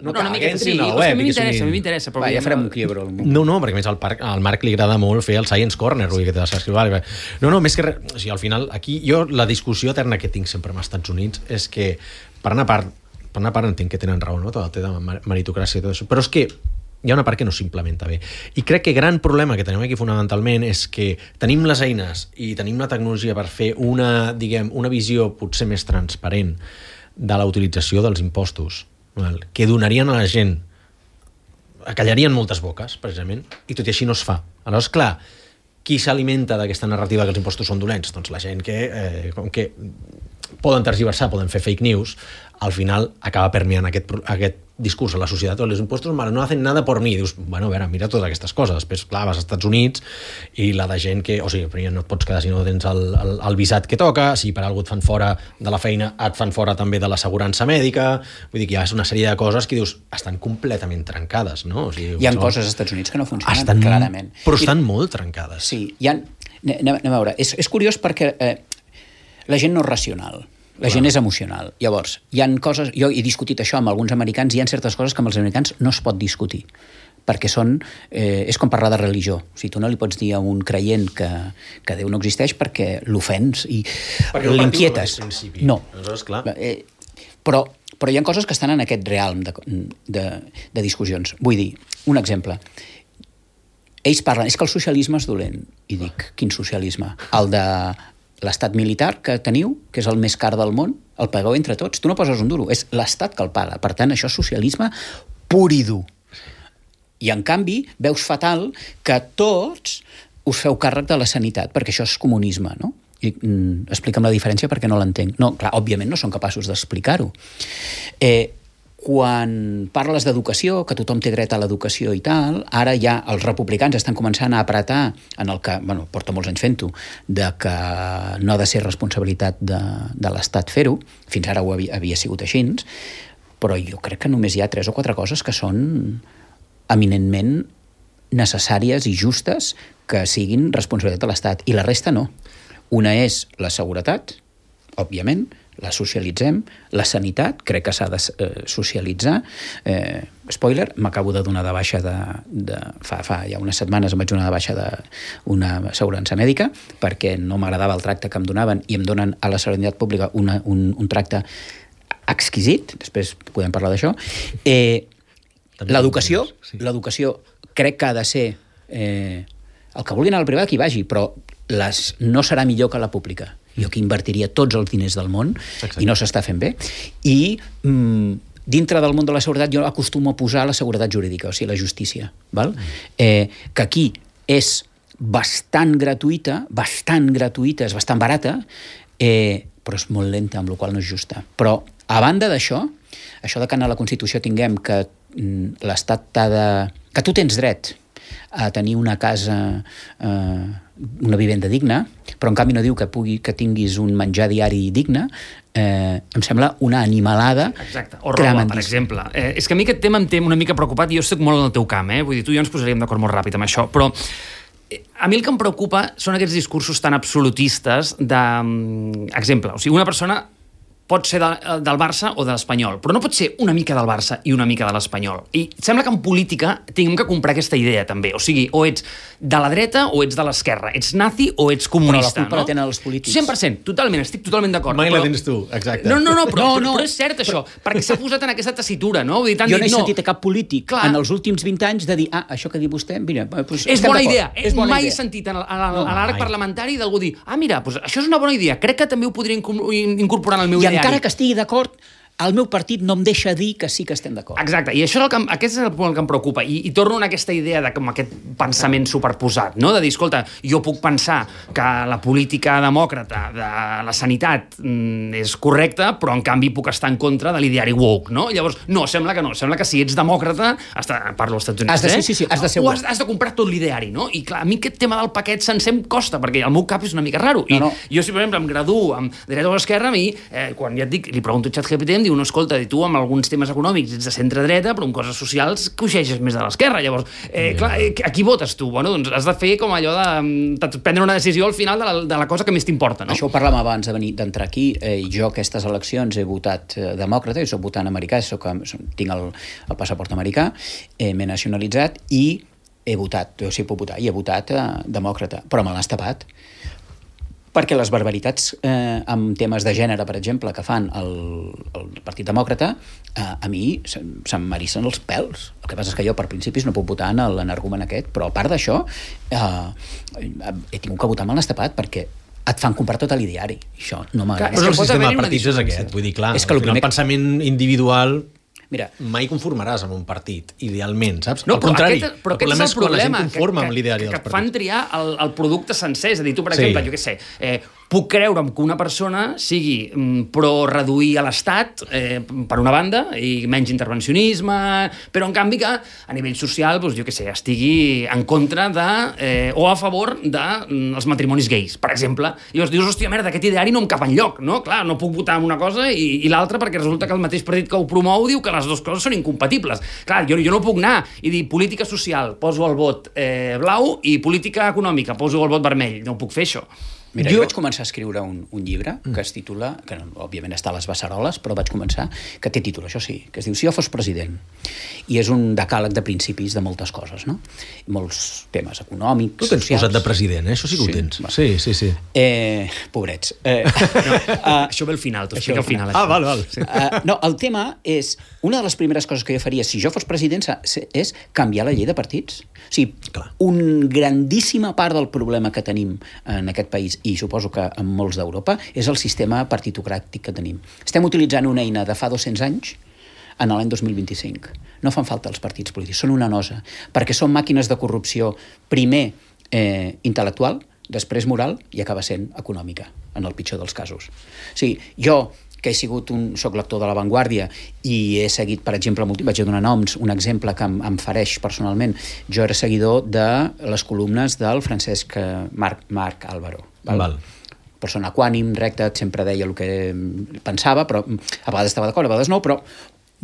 Sí, a mi m'interessa. Ja farem un quiebro. No, perquè a més al Marc li agrada molt fer el Science Corner, que te l'escriure. No, més que res, o sigui, al final, aquí jo la discussió eterna que tinc sempre amb els Estats Units és que, per una part entenc que tenen raó, no? Tot el tema de meritocràcia i tot això, però és que hi ha una part que no s'implementa bé. I crec que el gran problema que tenim aquí fonamentalment és que tenim les eines i tenim la tecnologia per fer una visió potser més transparent de la utilització dels impostos, que donarien a la gent, acallarien moltes boques, precisament, i tot i així no es fa. Aleshores, clar, qui s'alimenta d'aquesta narrativa que els impostos són dolents? Doncs la gent que, com que poden tergiversar, poden fer fake news, al final acaba permeant aquest discurs a la societat, els impostos no hacen nada por mí. Dius, bueno, a veure, mira totes aquestes coses. Després, clar, vas als Estats Units i la de gent que, o sigui, primer no et pots quedar si no tens el visat que toca, si per algú et fan fora de la feina, et fan fora també de l'assegurança mèdica, vull dir que hi ha una sèrie de coses que dius, estan completament trencades, no? O sigui, hi ha coses als Estats Units que no funcionen, clarament. Però estan molt trencades. Sí, anem a veure, és curiós perquè la gent no és racional. La gent és emocional. Llavors, hi ha coses... Jo he discutit això amb alguns americans, hi ha certes coses que amb els americans no es pot discutir, perquè són... és com parlar de religió. O sigui, tu no li pots dir a un creient que Déu no existeix perquè l'ofens i l'inquietes. No. Aleshores, clar... Però hi ha coses que estan en aquest realm de discussions. Vull dir, un exemple. Ells parlen, és que el socialisme és dolent. I dic, quin socialisme? El de l'estat militar que teniu, que és el més car del món, el pagueu entre tots. Tu no poses un duro, és l'estat que el paga. Per tant, això és socialisme pur i dur. I, en canvi, veus fatal que tots us feu càrrec de la sanitat, perquè això és comunisme, no? I, explica'm la diferència perquè no l'entenc. No, clar, òbviament no són capaços d'explicar-ho. Quan parles d'educació, que tothom té dret a l'educació i tal, ara ja els republicans estan començant a apretar en el que, bueno, porta molts anys fent-ho, de que no ha de ser responsabilitat de l'Estat fer-ho, fins ara ho havia sigut així, però jo crec que només hi ha 3 o 4 coses que són eminentment necessàries i justes que siguin responsabilitat de l'Estat, i la resta no. Una és la seguretat, òbviament, la socialitzem, la sanitat, crec que s'ha de socialitzar. Spoiler, m'acabo de donar de baixa fa ja unes setmanes em vaig donar de baixa d'una assegurança mèdica perquè no m'agradava el tracte que em donaven i em donen a la sanitat pública un tracte exquisit, després podem parlar d'això. L'educació crec que ha de ser el que vulgui anar al privat que hi vagi, però no serà millor que la pública. Jo aquí invertiria tots els diners del món. Exacte. I no s'està fent bé. I dintre del món de la seguretat jo acostumo a posar la seguretat jurídica, o sigui, la justícia. Val? Que aquí és bastant gratuïta, és bastant barata, però és molt lenta, amb la qual cosa no és justa. Però, a banda d'això, això de que a la Constitució tinguem que l'Estat que tu tens dret a tenir una casa, una vivenda digna, però en canvi no diu que tinguis un menjar diari digne, em sembla una animalada. Exacte, o roba, per exemple. És que a mi aquest tema em té una mica preocupat i jo estic molt en el teu camp, vull dir, tu i jo ens posaríem d'acord molt ràpid amb això, però a mi el que em preocupa són aquests discursos tan absolutistes exemple, o sigui, una persona pot ser del Barça o de l'Espanyol, però no pot ser una mica del Barça i una mica de l'Espanyol. I sembla que en política tinguem que comprar aquesta idea, també. O sigui, o ets de la dreta o ets de l'esquerra. Ets nazi o ets comunista, però la culpa la tenen els polítics. 100%, totalment, estic totalment d'acord. Mai la tens tu, exacte. No, però és cert això, perquè s'ha posat en aquesta tessitura, no? Vull dir, jo no he sentit a cap polític en els últims 20 anys de dir, això que diu vostè, mira, és bona idea. Mai he sentit a l'arc parlamentari d'algú dir, mira, això és una bona idea, crec que també ho podria incorporar en el meu ideari. I encara que estigui d'acord, el meu partit no em deixa dir que sí que estem d'acord. Exacte, i això aquest és el punt que em preocupa. I torno a aquesta idea de com aquest pensament superposat, no? De dir, escolta, jo puc pensar que la política demòcrata de la sanitat és correcta, però en canvi puc estar en contra de l'ideari woke, no? Llavors, no, sembla que no. Sembla que si ets demòcrata, parlo als Estats Units, sí, has de ser has de comprar tot l'ideari, no? I clar, a mi aquest tema del paquet sencer em costa, perquè el meu cap és una mica raro. I jo, si per exemple em graduo amb dreta o esquerra, a mi, quan ja et dic, li pregunto a ChatGPT, em diu, no, escolta, tu amb alguns temes econòmics ets de centre-dreta, però amb coses socials coixeixes més de l'esquerra. Llavors, clar, a qui votes tu? Bueno, doncs has de fer com allò de prendre una decisió al final de la cosa que més t'importa, no? Això ho parlàvem abans d'entrar aquí. Jo aquestes eleccions he votat demòcrata, soc votant americà, tinc el passaport americà, m'he nacionalitzat i he votat, jo sí puc votar, i he votat demòcrata, però me l'has tapat. Perquè les barbaritats amb temes de gènere, per exemple, que fan el Partit Demòcrata, a mi se'm m'erissen els pèls. El que passa és que jo, per principis, no puc votar en l'energument aquest, però a part d'això, he tingut que votar amb l'estapat perquè et fan comprar tot l'ideari. Això no m'agrada. Però el sistema de partits és aquest. Vull dir, clar, el pensament individual... Mira, mai conformaràs amb un partit, idealment, saps? No, al contrari, el problema és quan la gent conforma amb l'ideari dels partits. Que et fan triar el producte sencer. És a dir, tu, per exemple, jo què sé, puc creure'm que una persona sigui pro reduir a l'Estat, per una banda, i menys intervencionisme, però en canvi que a nivell social, doncs, jo què sé, estigui en contra o a favor dels matrimonis gais, per exemple. I llavors dius, hòstia, merda, aquest ideari no em cap enlloc, no? Clar, no puc votar en una cosa i l'altra perquè resulta que el mateix partit que ho promou diu que les dues coses són incompatibles. Clar, jo no puc anar i dir política social, poso el vot blau, i política econòmica, poso el vot vermell. No puc fer això. Mira, jo vaig començar a escriure un llibre que es titula, que òbviament està a les beceroles, però vaig començar, que té títol, això sí, que es diu Si jo fos president. I és un decàleg de principis de moltes coses, no? Molts temes econòmics, tu tens socials. posat de president, això sí que ho tens. Va. Sí. Pobrets. Això ve al final, t'ho explico al final. Val. Sí. No, el tema és, una de les primeres coses que jo faria si jo fos president és canviar la llei de partits. O sigui, una grandíssima part del problema que tenim en aquest país, i suposo que en molts d'Europa, és el sistema partitocràtic que tenim. Estem utilitzant una eina de fa 200 anys en l'any 2025. No fan falta els partits polítics, són una nosa, perquè són màquines de corrupció, primer intel·lectual, després moral i acaba sent econòmica, en el pitjor dels casos. O sigui, jo, que soc lector de La Vanguardia i he seguit, per exemple, vaig donar noms, un exemple que em fareix personalment, jo era seguidor de les columnes del Francesc Marc Álvaro. Val? Persona equànim, recta, sempre deia el que pensava, però a vegades estava d'acord, a vegades no, però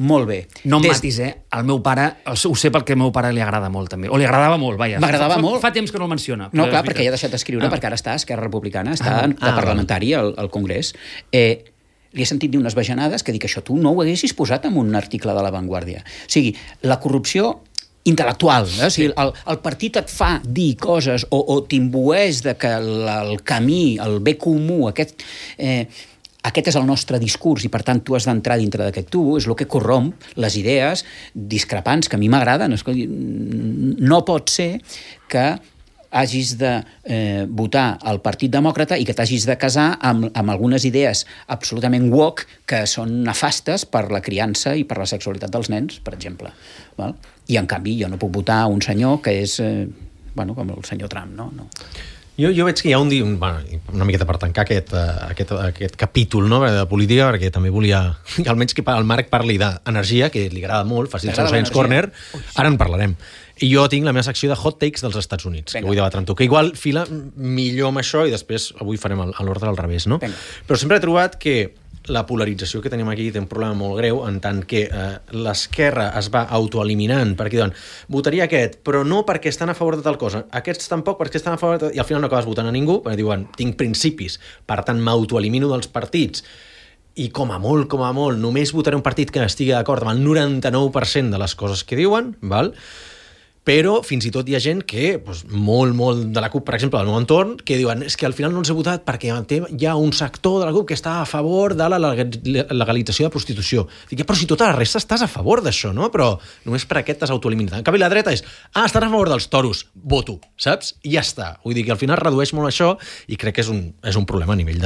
molt bé. No em matis, el meu pare, ho sé perquè al meu pare li agrada molt també, o li agradava molt, vaja. M'agradava molt. Fa temps que no el menciona. No, clar, perquè ja ha deixat d'escriure, perquè ara està a Esquerra Republicana, està de parlamentari al Congrés. Li he sentit dir unes bajanades que dic, això tu no ho haguessis posat en un article de La Vanguardia. O sigui, la corrupció intel·lectual, o sigui, el partit et fa dir coses o t'imbueix de que el camí, el bé comú, aquest és el nostre discurs i per tant tu has d'entrar dintre d'aquest tubo, és el que corromp les idees discrepants que a mi m'agraden. No pot ser que hagis de votar al Partit Demòcrata i que t'hagis de casar amb algunes idees absolutament woke que són nefastes per la criança i per la sexualitat dels nens, per exemple. Val? I en canvi jo no puc votar un senyor que és com el senyor Trump, no? Jo veig que hi ha una miqueta per tancar aquest capítol, no, de política, perquè també volia almenys que el Marc parli d'energia, que li agrada molt, faci el seu Science Corner, ara en parlarem. I jo tinc la meva secció de hot takes dels Estats Units, que vull debatre amb tu, que igual fila millor amb això i després avui farem l'ordre al revés, no? Però sempre he trobat que la polarització que tenim aquí té un problema molt greu en tant que l'esquerra es va autoeliminant perquè diuen, votaria aquest, però no perquè estan a favor de tal cosa, aquests tampoc perquè estan a favor de tal... i al final no acabes votant a ningú, perquè diuen, tinc principis, per tant m'autoelimino dels partits i com a molt, només votaré un partit que estigui d'acord amb el 99% de les coses que diuen, val? Però fins i tot hi ha gent que, molt de la CUP, per exemple, del meu entorn, que diuen, és que al final no els he votat perquè hi ha un sector de la CUP que està a favor de la legalització de prostitució. Dic, però si tota la resta estàs a favor d'això, no? Però només per aquest t'has autoeliminat. En canvi, la dreta és, estàs a favor dels toros, voto, saps? I ja està. Vull dir que al final redueix molt això i crec que és un problema a nivell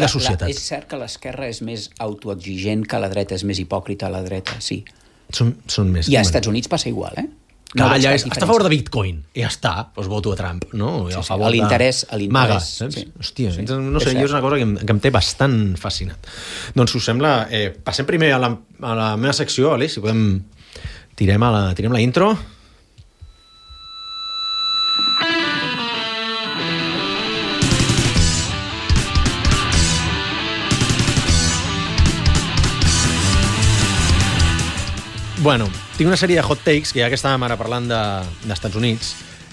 de societat. És cert que l'esquerra és més autoexigent que la dreta, és més hipòcrita a la dreta, sí. Són més... I als Estats Units passa igual, No, allà està a favor de Bitcoin, i ja està, doncs voto a Trump, no? Sí, a l'interès. Maga, saps? Sí. Hòstia, no sé, és una cosa que em té bastant fascinat. Doncs, si us sembla, passem primer a la meva secció, Aleix, si podem... Tirem la intro. Bueno, tinc una sèrie de hot takes, que ja que estàvem ara parlant d'Estats Units,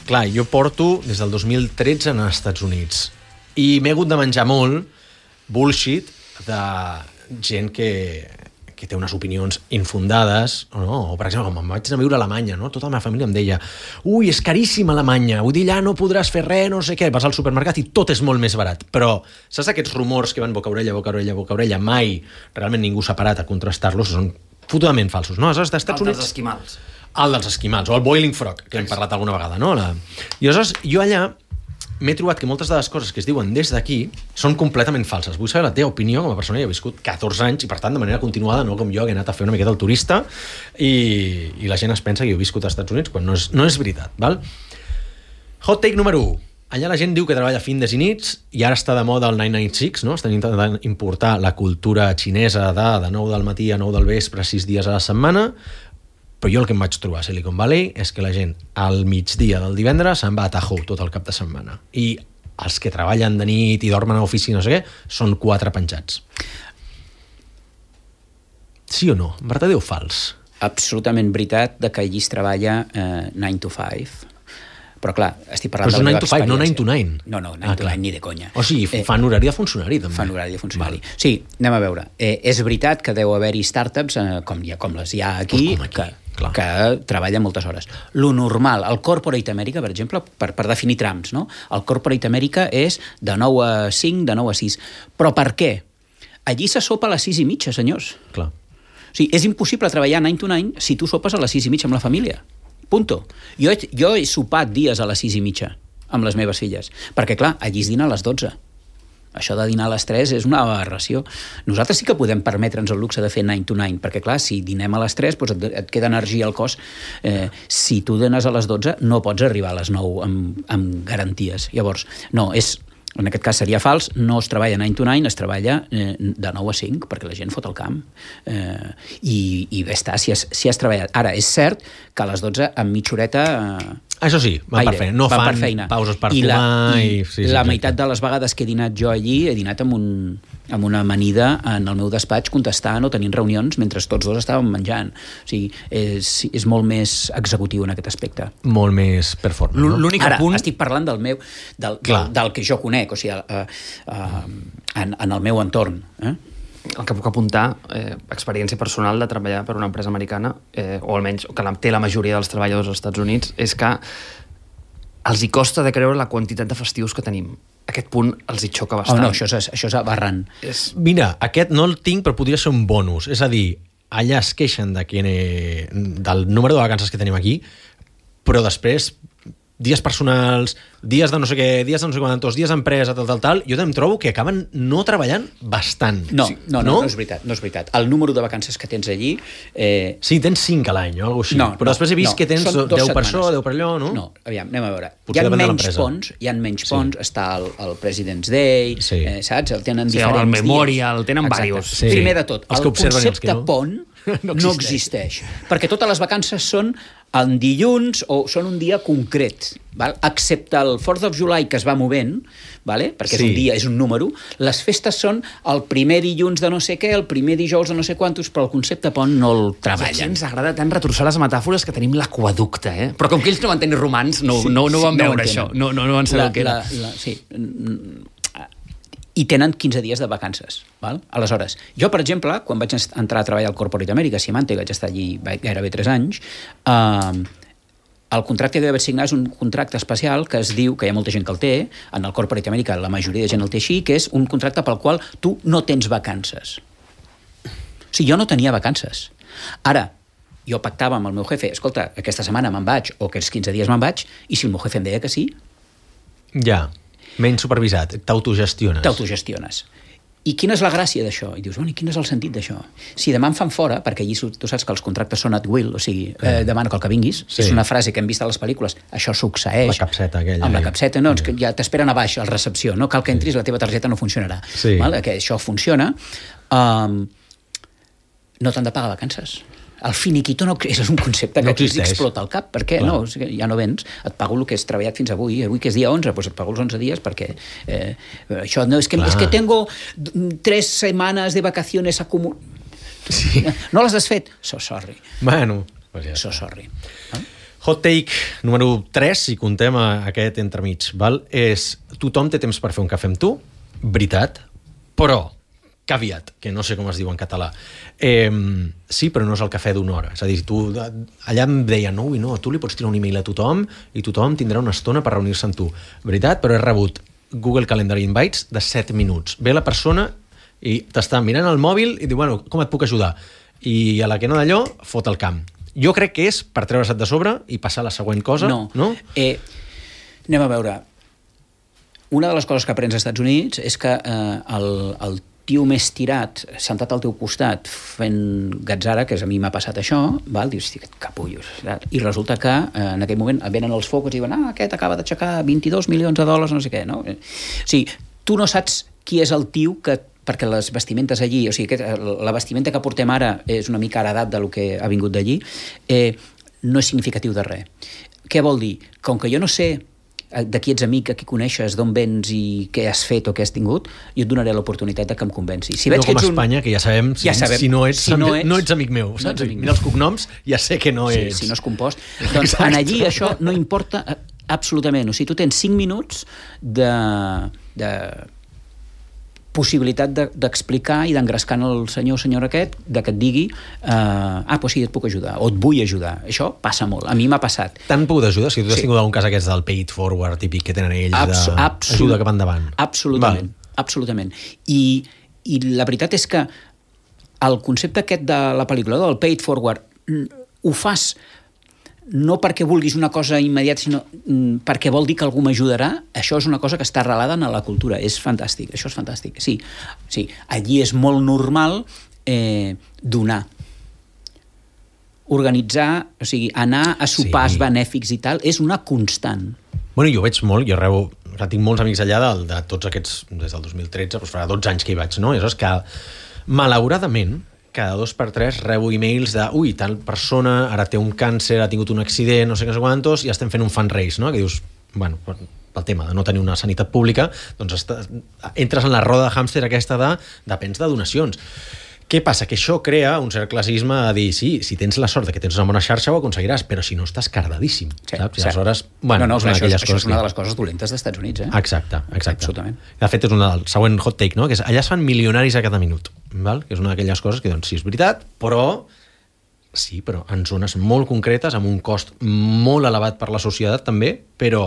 clar, jo porto des del 2013 als Estats Units i m'he hagut de menjar molt bullshit de gent que té unes opinions infundades, no? O per exemple, quan me'n vaig anar a viure a Alemanya, no? Tota la meva família em deia, ui, és caríssim a Alemanya, vull dir, allà no podràs fer res, no sé què, vas al supermercat i tot és molt més barat. Però saps aquests rumors que van boca orella, mai realment ningú s'ha parat a contrastar-los, són fotudament falsos, no? Aleshores, d'Estats Units... El dels esquimals. El dels esquimals, o el boiling frog, que hem parlat alguna vegada, no? I aleshores, jo allà m'he trobat que moltes de les coses que es diuen des d'aquí són completament falses. Vull saber la teva opinió com a persona que ha viscut 14 anys i, per tant, de manera continuada, no com jo, que he anat a fer una miqueta el turista i la gent es pensa que jo he viscut als Estats Units quan no és veritat, val? Hot take número 1. Allà la gent diu que treballa fins i nits i ara està de moda el 996, no? Estan intentant importar la cultura xinesa de 9 del matí a 9 del vespre, 6 dies a la setmana, però jo el que em vaig trobar a Silicon Valley és que la gent al migdia del divendres se'n va a Tahoe tot el cap de setmana. I els que treballen de nit i dormen a l'oficina, no sé què, són 4 penjats. Sí o no? Verdadeu o fals? Absolutament veritat de que allí es treballa 9 to 5. Però clar, estic parlant però de la meva és 9 to 5, no 9 to 9. No, 9 to 9, ni de conya. O sigui, fan horari de funcionari, també. Fan horari de funcionari. Sí, anem a veure. És veritat que deu haver-hi startups, com les hi ha aquí, que treballen moltes hores. Lo normal, el Corporate America, per exemple, per definir trams, no? El Corporate America és de 9 a 5, de 9 a 6. Però per què? Allí se sopa a les 6:30, senyors. Clar. O sigui, és impossible treballar 9 to 9 si tu sopes a les 6:30 amb la família. Punto. Jo he sopat dies a les 6:30 amb les meves filles, perquè clar, allí es dina a les 12. Això de dinar a les 3 és una aberració. Nosaltres sí que podem permetre'ns el luxe de fer 9 to 9, perquè clar, si dinem a les 3 doncs et queda energia al cos. Si tu dines a les 12 no pots arribar a les 9 amb garanties. Llavors, no, en aquest cas seria fals, no es treballa 9 to 9, es treballa de 9 a 5, perquè la gent fot el camp. I bé està, si has treballat. Ara, és cert que a les 12 amb mitja horeta... Això sí, van per feina. No fan pauses per fumar... La meitat de les vegades que he dinat jo allí, he dinat amb una amanida en el meu despatx contestant o tenint reunions mentre tots dos estàvem menjant. O sigui, és molt més executiu en aquest aspecte. Molt més performant. No? L'únic punt... Estic parlant del que jo conec, o sigui, en el meu entorn. El que puc apuntar, experiència personal de treballar per una empresa americana, o almenys que té la majoria dels treballadors als Estats Units, és que els hi costa de creure la quantitat de festius que tenim. Aquest punt els hi xoca bastant. No, això és aberrant. Mira, aquest no el tinc, però podria ser un bonus. És a dir, allà es queixen del número de vacances que tenim aquí, però després dies personals, dies de no sé què, dies de no sé quantos, dies d'empresa, tal, jo em trobo que acaben no treballant bastant. No és veritat. El número de vacances que tens allí... Sí, tens 5 a l'any o alguna cosa així, però després he vist que tens 10 per això, 10 per allò, no? No, aviam, anem a veure. Potser Hi ha menys ponts, està el President's Day, saps? El tenen diferents dies. El Memorial, tenen diversos. Primer de tot, el concepte pont no existeix, perquè totes les vacances són en dilluns o són un dia concret, val? Excepte el 4th of July, que es va movent, vale? Perquè és un dia, és un número. Les festes són el primer dilluns de no sé què, el primer dijous de no sé quantos, però el concepte pont no el treballen. Aquí ens agrada tant retorçar les metàfores que tenim l'aqueducte, eh? Però com que ells no van tenir romans, no van veure això, no van saber el que era. Sí, i tenen 15 dies de vacances. Val? Aleshores, jo, per exemple, quan vaig entrar a treballar al Corporate America, Symantec, vaig estar allí gairebé 3 anys, el contracte que vaig signar és un contracte especial que es diu, que hi ha molta gent que el té, en el Corporate America la majoria de gent el té així, que és un contracte pel qual tu no tens vacances. O sigui, jo no tenia vacances. Ara, jo pactava amb el meu jefe, escolta, aquesta setmana me'n vaig, o aquests 15 dies me'n vaig, i si el meu jefe em deia que sí... Ja, menys supervisat, t'autogestiones. I quina és la gràcia d'això? I dius, bueno, i quin és el sentit d'això? Si demà em fan fora, perquè allí tu saps que els contractes són at will, o sigui, demana que vinguis, és una frase que hem vist a les pel·lícules, això succeeix. La capseta aquella. Amb la capseta, no, que ja t'esperen a baix, a la recepció, no cal que entris, la teva targeta no funcionarà. Val? Que això funciona. No t'han de pagar vacances. El finiquito no és un concepte que no explota el cap. Per què? No, ja no vens. Et pago el que has treballat fins avui que és dia 11, doncs et pago els 11 dies perquè això no, és que tengo 3 setmanes de vacaciones acumuladas. Sí. No les has fet? So sorry. Bueno, pues ja so sorry. Hot take número 3, si contem aquest entremig, val? És tothom té temps per fer un cafè amb tu, veritat, però caveat, que no sé com es diu en català. Sí, però no és el cafè d'una hora. És a dir, allà em deien, no, tu li pots tirar un email a tothom i tothom tindrà una estona per reunir-se amb tu. Veritat, però he rebut Google Calendar Invites de 7 minuts. Ve la persona i t'està mirant el mòbil i diu, bueno, com et puc ajudar? I a la que no d'allò, fot el camp. Jo crec que és per treure-se't de sobre i passar a la següent cosa. No? Anem a veure. Una de les coses que aprens als Estats Units és que el tio més tirat, sentat al teu costat fent gatzara, que a mi m'ha passat això, val? Dius, que capullos. I resulta que en aquell moment venen els focus i diuen, aquest acaba d'aixecar $22 milions, no sé què, no? O sigui, tu no saps qui és el tio perquè les vestimentes allí, o sigui, la vestimenta que portem ara és una mica heredat del que ha vingut d'allí, no és significatiu de res. Què vol dir? Com que jo no sé de qui ets amic, a qui coneixes, d'on vens i què has fet o què has tingut, jo et donaré l'oportunitat de que em convenci. Si veig no com a Espanya, que ja sabem si no ets amic meu. No ets amic mira els cognoms, ja sé que no ets... Si no és compost. Doncs en allí això no importa absolutament. O sigui, tu tens 5 minuts de possibilitat d'explicar i d'engrescar el senyor aquest, que et digui doncs sí, et puc ajudar, o et vull ajudar. Això passa molt. A mi m'ha passat. T'han pogut ajudar? Si tu has tingut algun cas aquests del pay it forward típic que tenen ells d'ajuda cap endavant. Absolutament. Absolutament. I la veritat és que el concepte aquest de la pel·lícula, del pay it forward, ho fas no perquè vulguis una cosa immediata, sinó perquè vol dir que algú m'ajudarà. Això és una cosa que està arrelada en la cultura. És fantàstic, això és fantàstic. Sí, allí és molt normal donar. Organitzar, o sigui, anar a sopars benèfics i tal, és una constant. Bueno, jo ho veig molt, jo tinc molts amics allà de tots aquests, des del 2013, doncs farà 12 anys que hi vaig, no? I és que, malauradament, cada 2 per 3 rebo e-mails de tal persona ara té un càncer, ha tingut un accident, no sé què quantos, i estem fent un fundraise, no? Que dius, bueno, pel tema de no tenir una sanitat pública, doncs entres en la roda de hàmster aquesta depens de donacions. Què passa? Que això crea un cert classisme a dir, sí, si tens la sort que tens una bona xarxa ho aconseguiràs, però si no estàs cardadíssim, saps? I aleshores, bueno, això és una de les coses dolentes dels Estats Units, Exacte. Absolutament. De fet, és el següent hot take, no? Que és, allà es fan milionaris a cada minut, val? Que és una d'aquelles coses que, doncs, sí, és veritat, però en zones molt concretes, amb un cost molt elevat per la societat, també, però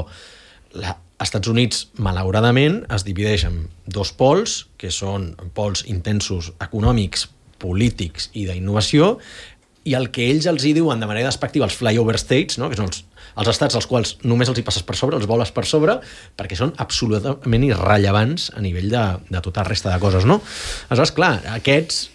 als Estats Units, malauradament, es divideix en 2 pols, que són pols intensos econòmics, polítics i d'innovació, i el que ells els hi diuen de manera despectiva els flyover states, no? Que són els estats als quals només els hi passes per sobre, els voles per sobre, perquè són absolutament irrellevants a nivell de tota la resta de coses, no? Aleshores, clar, aquests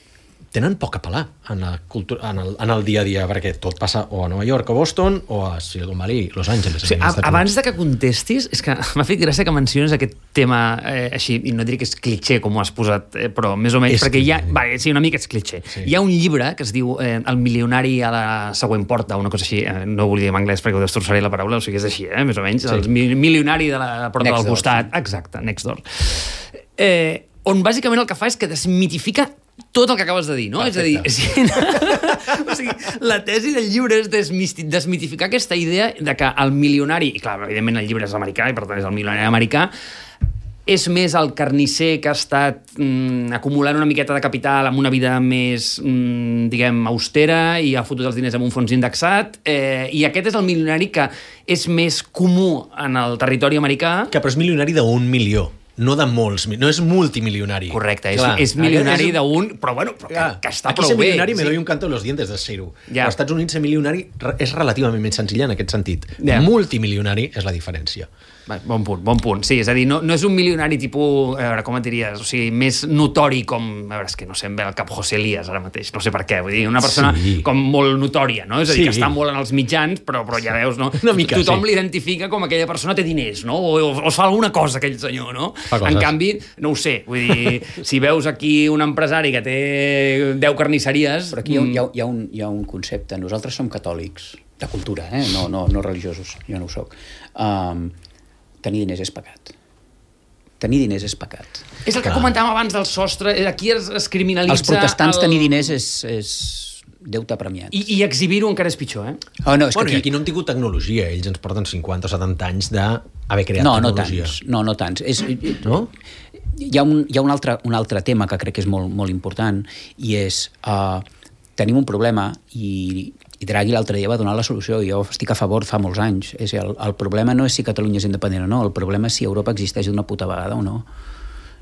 tenen poc a pelar en la cultura, en el dia a dia, perquè tot passa o a Nova York o Boston o a Silicon Valley, Los Angeles. Sí, abans de que contestis, és que m'ha fet gràcia que menciones aquest tema així, i no diré que és clitxer com ho has posat, però més o menys, perquè sí, una mica és clitxer. Sí. Hi ha un llibre que es diu El milionari a la següent porta, una cosa així, no ho vull dir en anglès perquè ho destrossaré la paraula, o sigui, és així, més o menys, el milionari de la porta del costat. Exacte, next door. On bàsicament el que fa és que desmitifica tot el que acabes de dir, no? Perfecte. És a dir, o sigui, la tesi del llibre és desmitificar aquesta idea de que el milionari, i clar, evidentment el llibre és americà, i per tant és el milionari americà, és més el carnisser que ha estat acumulant una miqueta de capital amb una vida més, diguem, austera i ha fotut els diners en un fons indexat, i aquest és el milionari que és més comú en el territori americà. Que però és milionari d'1 milió. No de molts, no és multimilionari. Correcte, és milionari d'un, però bueno, que està prou bé. Aquí ser milionari me doy un canto en los dientes de ser-ho. Als Estats Units ser milionari és relativament més senzill en aquest sentit. Multimilionari és la diferència. Bon punt. Sí, és a dir, no és un milionari tipus, a veure, com et diries, o sigui, més notori com, a veure, és que no sé, em ve el cap José Elías ara mateix, no sé per què, vull dir, una persona com molt notòria, no? És a dir, que està molt en els mitjans, però ja veus, no? Tothom l'identifica com aquella persona té diners, no? O fa alguna cosa aquell senyor, no? En canvi, no ho sé, vull dir, si veus aquí un empresari que té 10 carnisseries... Però aquí hi ha un concepte, nosaltres som catòlics, de cultura, no religiosos, jo no ho soc. Tenir diners és pecat. Tenir diners és pecat. És el que comentàvem abans del sostre, aquí es criminalitza... Els protestants tenir diners és deute premiat. I exhibir-ho encara és pitjor, No, és que aquí no han tingut tecnologia, ells ens porten 50 o 70 anys d'haver creat tecnologia. No tants. No? Hi ha un altre tema que crec que és molt, molt important, i és tenim un problema, i Draghi l'altre dia va donar la solució, i jo estic a favor fa molts anys. El problema no és si Catalunya és independent o no, el problema és si Europa existeix d'una puta vegada o no.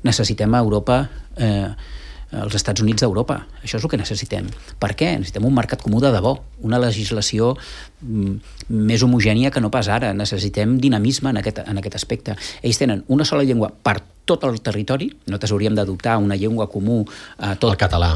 Necessitem a Europa, els Estats Units d'Europa. Això és el que necessitem. Per què? Necessitem un mercat comú de debò, una legislació més homogènia que no pas ara. Necessitem dinamisme en aquest aspecte. Ells tenen una sola llengua per tot el territori, nosaltres hauríem d'adoptar una llengua comú a tot... El català.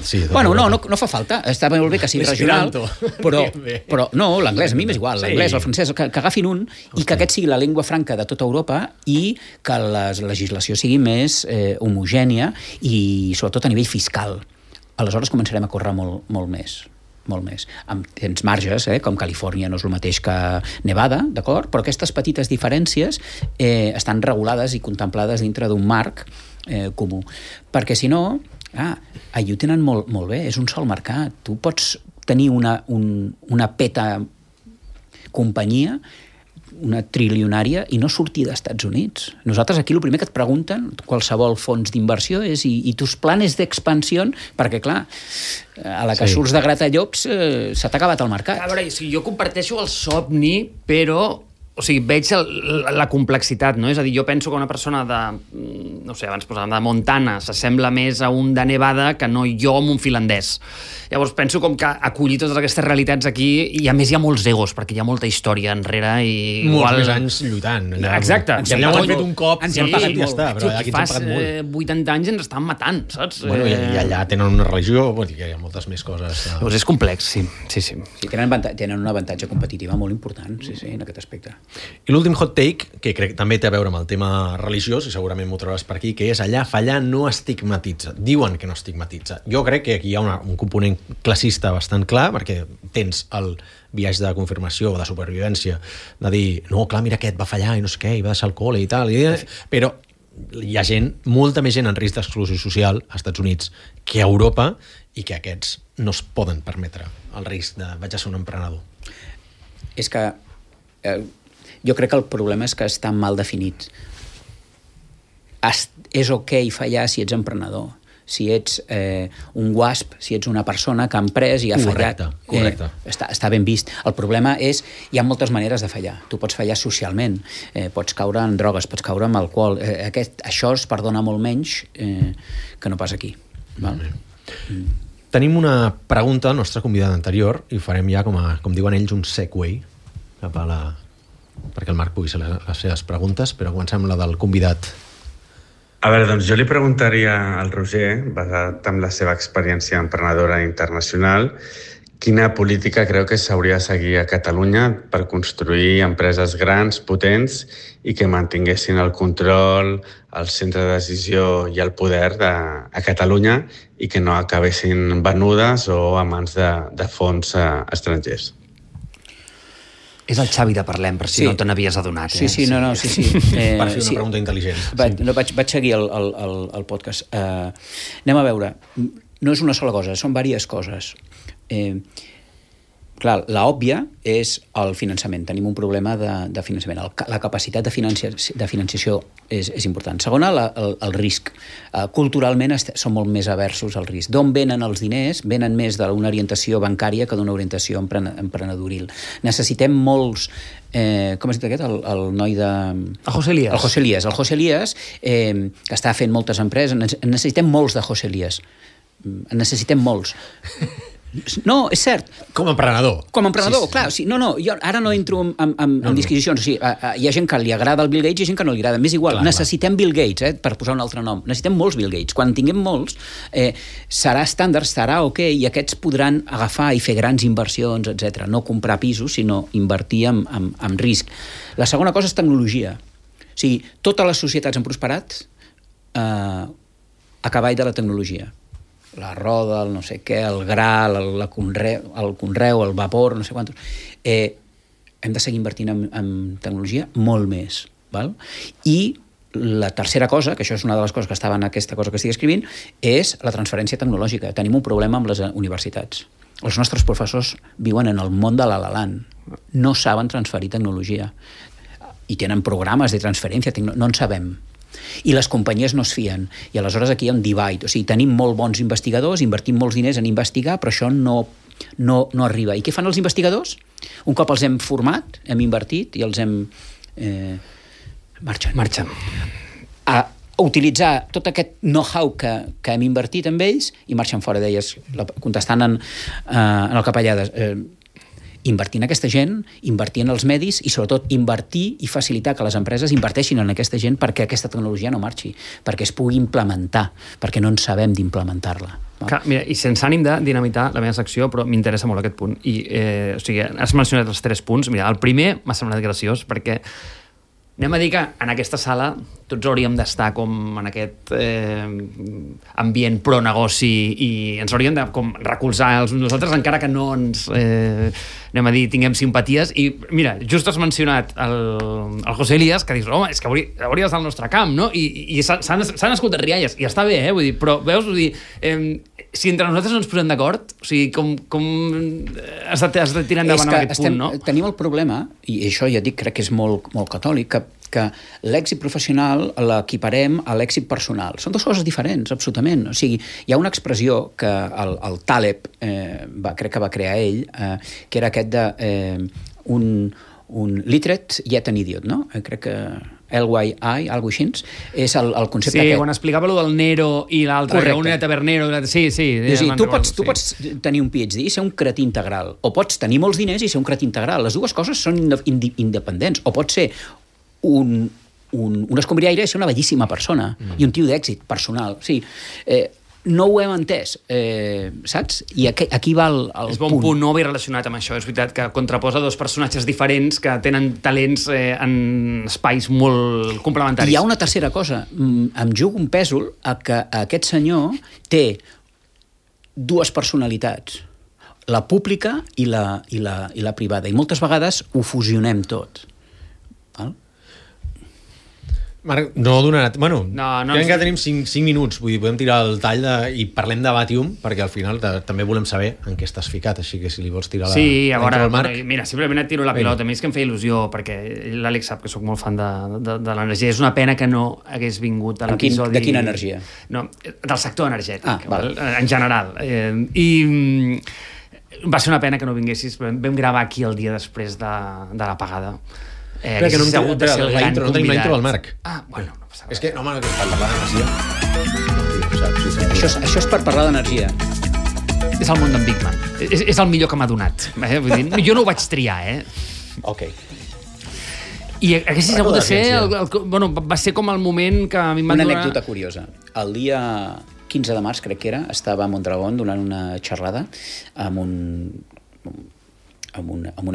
Sí, bueno, no fa falta, està molt bé que sigui regional, però no, l'anglès, a mi m'és igual, l'anglès, el francès, que agafin un i que aquest sigui la llengua franca de tota Europa i que la legislació sigui més homogènia i sobretot a nivell fiscal. Aleshores començarem a córrer molt més. Tens marges, com Califòrnia no és el mateix que Nevada, d'acord? Però aquestes petites diferències estan regulades i contemplades dintre d'un marc comú. Perquè si no, allà ho tenen molt bé, és un sol mercat. Tu pots tenir una peta companyia una trilionària i no sortir dels Estats Units. Nosaltres aquí el primer que et pregunten, qualsevol fons d'inversió, és i tus planes d'expansió, perquè clar, a la que surts de Gratallops s'ha acabat el mercat. A veure, jo comparteixo el somni, però veig la complexitat, no? És a dir, jo penso que una persona no sé, abans posàvem de Montana s'assembla més a un de Nevada que no jo amb un finlandès. Llavors penso com que acollir totes aquestes realitats aquí, i a més hi ha molts egos, perquè hi ha molta història enrere i molts més anys lluitant. Exacte. Ja ho han fet un cop, ens han pagat molt. Però aquí ens han pagat molt. 80 anys ens estan matant, saps? Bueno, i allà tenen una religió, hi ha moltes més coses. Llavors és complex, sí. Tenen un avantatge competitiva molt important, en aquest aspecte. I l'últim hot take, que crec que també té a veure amb el tema religiós, i segurament m'ho trobaràs per aquí, que és allà fallar no estigmatitza. Diuen que no estigmatitza. Jo crec que aquí hi ha un component classista bastant clar, perquè tens el viatge de confirmació o de supervivència, de dir, no, clar, mira aquest va fallar i no sé què, i va deixar el col·le i tal, però hi ha molta més gent en risc d'exclusió social als Estats Units que a Europa, i que aquests no es poden permetre el risc de vaig a ser un emprenedor. És que jo crec que el problema és que està mal definit. És ok fallar si ets emprenedor, si ets un WASP, si ets una persona que ha emprès i ha fallat. Correcte. Està ben vist. El problema és, hi ha moltes maneres de fallar. Tu pots fallar socialment, pots caure en drogues, pots caure en alcohol. Això es perdona molt menys que no pas aquí. Val? Tenim una pregunta al nostre convidat anterior i ho farem ja, com diuen ells, un segue cap a perquè el Marc pugui fer les seves preguntes, però comencem la del convidat. A veure, doncs jo li preguntaria al Roger, basat en la seva experiència emprenedora internacional, quina política creu que s'hauria de seguir a Catalunya per construir empreses grans, potents i que mantinguessin el control, el centre de decisió i el poder a Catalunya i que no acabessin venudes o a mans de fons estrangers. És el Xavi de Parlem, per si no te n'havies adonat. Sí. Per fer una pregunta intel·ligent. Vaig seguir el podcast. Anem a veure. No és una sola cosa, són diverses coses. Clar, l'òbvia és el finançament. Tenim un problema de finançament. La capacitat de financiació és important. Segona, el risc. Culturalment són molt més aversos al risc. D'on venen els diners? Venen més d'una orientació bancària que d'una orientació emprenedoril. Necessitem molts... com es dit aquest? El noi de... El José Elías. El José Elías, que està fent moltes empreses. Necessitem molts de José Elías. Necessitem molts. No, és cert. Com a emprenedor. Clar. Sí, jo ara no entro en disquisicions. Hi ha gent que li agrada el Bill Gates i gent que no li agrada. M'és igual, necessitem Bill Gates, per posar un altre nom. Necessitem molts Bill Gates. Quan tinguem molts, serà estàndard, serà ok, i aquests podran agafar i fer grans inversions, etc. No comprar pisos, sinó invertir en risc. La segona cosa és tecnologia. O sigui, totes les societats han prosperat a cavall de la tecnologia. La roda, el no sé què, el gra, el conreu, el vapor, no sé quantos. Hem de seguir invertint en tecnologia molt més. Val? I la tercera cosa, que això és una de les coses que estava en aquesta cosa que estic escrivint, és la transferència tecnològica. Tenim un problema amb les universitats. Els nostres professors viuen en el món de la La Land. No saben transferir tecnologia. I tenen programes de transferència, no en sabem. I les companyies no es fien, i aleshores aquí hi ha un divide, o sigui, tenim molt bons investigadors, invertim molts diners en investigar, però això no arriba. I què fan els investigadors? Un cop els hem format, hem invertit i els hem... marxen. A utilitzar tot aquest know-how que hem invertit en ells i marxen fora d'elles, contestant en el Capellades. Invertir en aquesta gent, invertir en els medis i sobretot invertir i facilitar que les empreses inverteixin en aquesta gent perquè aquesta tecnologia no marxi, perquè es pugui implementar, perquè no en sabem d'implementar-la. Mira, i sense ànim de dinamitar la meva secció, però m'interessa molt aquest punt. I, has mencionat els 3 punts. Mira, el primer m'ha semblat graciós perquè Anem a dir que en aquesta sala tots hauríem d'estar com en aquest ambient pro-negoci i ens hauríem de com recolzar els nosaltres, encara que no ens anem a dir, tinguem simpaties. I mira, just has mencionat el José Elías, que dius, home, és que hauria d'estar al nostre camp, no? I s'han escoltat rialles, i està bé, vull dir, però veus, vull dir, si entre nosaltres no ens posem d'acord, o sigui, com has de tirar endavant en aquest punt, no? Tenim el problema, i això ja dic, crec que és molt catòlic, que l'èxit professional l'equiparem a l'èxit personal. Són dues coses diferents, absolutament. O sigui, hi ha una expressió que el Taleb crec que va crear ell, que era aquest de un literate yet an idiot, no? Crec que LYI, alguna cosa així, és el concepte aquest. Sí, quan explicava allò del Nero i l'altre, que un era tabernero. Sí. Tu pots tenir un PhD i ser un cretí integral, o pots tenir molts diners i ser un cretí integral. Les dues coses són independents. O pots ser un escombriaire i ser una bellíssima persona i un tio d'èxit personal. O sigui, no ho hem entès, saps? I aquí va el punt. És bon punt, no ho havia relacionat amb això. És veritat que contraposa dos personatges diferents que tenen talents en espais molt complementaris. I hi ha una tercera cosa. Em jugo un pèsol a que aquest senyor té dues personalitats, la pública i la privada. I moltes vegades ho fusionem tot. Val? Marc, no donarà... Bueno, no, crec que tenim 5 minuts, vull dir, podem tirar el tall i parlem de Batium, perquè al final també volem saber en què estàs ficat, així que si li vols tirar a veure, Marc... Mira, simplement et tiro la pilota. A mi és que em feia il·lusió, perquè l'Àlex sap que sóc molt fan de l'energia. És una pena que no hagués vingut a l'episodi... De quina energia? No, del sector energètic, val. En general. I va ser una pena que no vinguessis. Vam gravar aquí el dia després de l'apagada. Espera, que no tenim la intro del Marc. Bueno, no passa res. És que, no, home, que és per parlar d'energia. Això és per parlar d'energia. És el món d'en Big Man. És el millor que m'ha donat. Vull dir, jo no ho vaig triar, Ok. I haguessis hagut de ser... va ser com el moment que a mi em van donar... Una anècdota curiosa. El dia 15 de març, crec que era, estava a Mondragón donant una xerrada amb un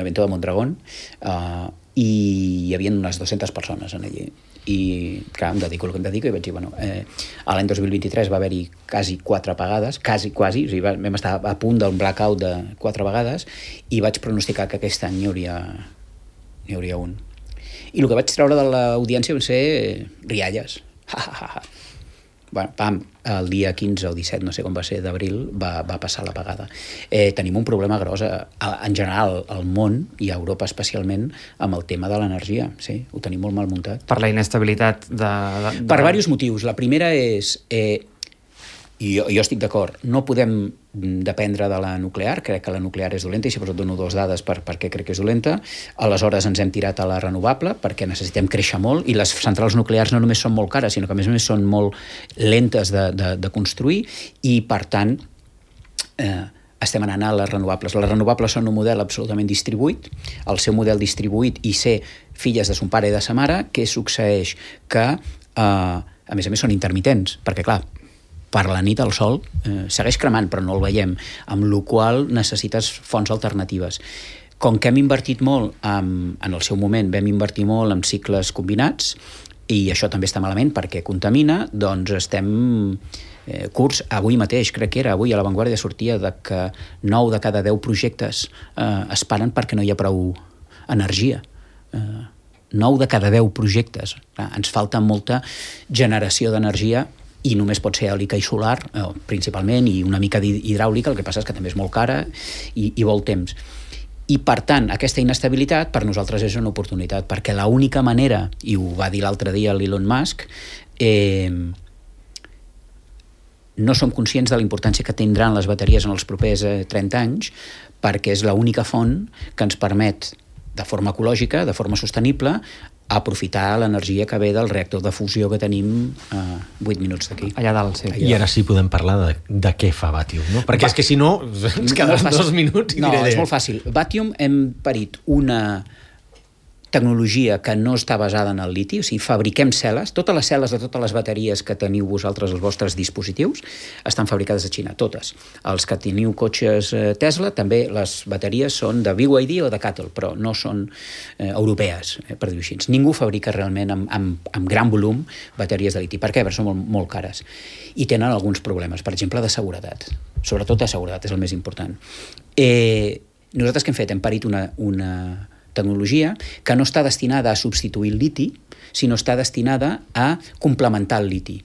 evento de Mondragón i hi havia unes 200 persones en allí. I, clar, em dedico el que em dedico i vaig dir, l'any 2023 va haver-hi quasi 4 apagades, quasi, o sigui, vam estar a punt d'un blackout de 4 vegades i vaig pronosticar que aquest any n'hi hauria un. I el que vaig treure de l'audiència van ser rialles. Bueno, el dia 15 o 17, no sé com va ser, d'abril, va passar l'apagada. Tenim un problema gros, en general, al món, i a Europa especialment, amb el tema de l'energia. Sí, ho tenim molt mal muntat. Per la inestabilitat de... Per diversos motius. La primera és... I jo estic d'acord, no podem dependre de la nuclear, crec que la nuclear és dolenta i si us dono 2 dades per què crec que és dolenta. Aleshores ens hem tirat a la renovable perquè necessitem créixer molt i les centrals nuclears no només són molt cares, sinó que a més són molt lentes de construir i per tant estem anant a les renovables. Les renovables són un model absolutament distribuït, el seu model distribuït i ser filles de son pare i de sa mare, què succeeix? Que a més són intermitents, perquè clar, per la nit el sol segueix cremant, però no el veiem, amb la qual necessites fonts alternatives. Com que hem invertit molt, en el seu moment vam invertir molt en cicles combinats, i això també està malament perquè contamina, doncs estem curts. Avui mateix, crec que era, avui a La Vanguardia sortia de que 9 de cada 10 projectes es paren perquè no hi ha prou energia. 9 de cada 10 projectes. Ens falta molta generació d'energia i només pot ser eòlica i solar, principalment, i una mica d'hidràulica, el que passa és que també és molt cara i vol temps. I, per tant, aquesta inestabilitat per nosaltres és una oportunitat, perquè l'única manera, i ho va dir l'altre dia l'Elon Musk, no som conscients de la importància que tindran les bateries en els propers 30 anys, perquè és l'única font que ens permet, de forma ecològica, de forma sostenible, aprofitar l'energia que ve del reactor de fusió que tenim a 8 minuts d'aquí. Allà dalt, sí. I ara sí podem parlar de què fa Batium, no? Perquè és que si no ens quedaran 2 minuts i no, diré... és molt fàcil. Batium hem parit una tecnologia que no està basada en el liti, o sigui, fabriquem cel·les, totes les cel·les de totes les bateries que teniu vosaltres als vostres dispositius estan fabricades a Xina, totes. Els que teniu cotxes Tesla, també les bateries són de BYD o de CATL, però no són europees, per dir-ho així. Ningú fabrica realment amb gran volum bateries de liti. Per què? Perquè són molt cares. I tenen alguns problemes, per exemple, de seguretat. Sobretot de seguretat, és el més important. Nosaltres què hem fet? Hem parit una tecnologia que no està destinada a substituir el liti, sinó està destinada a complementar el liti.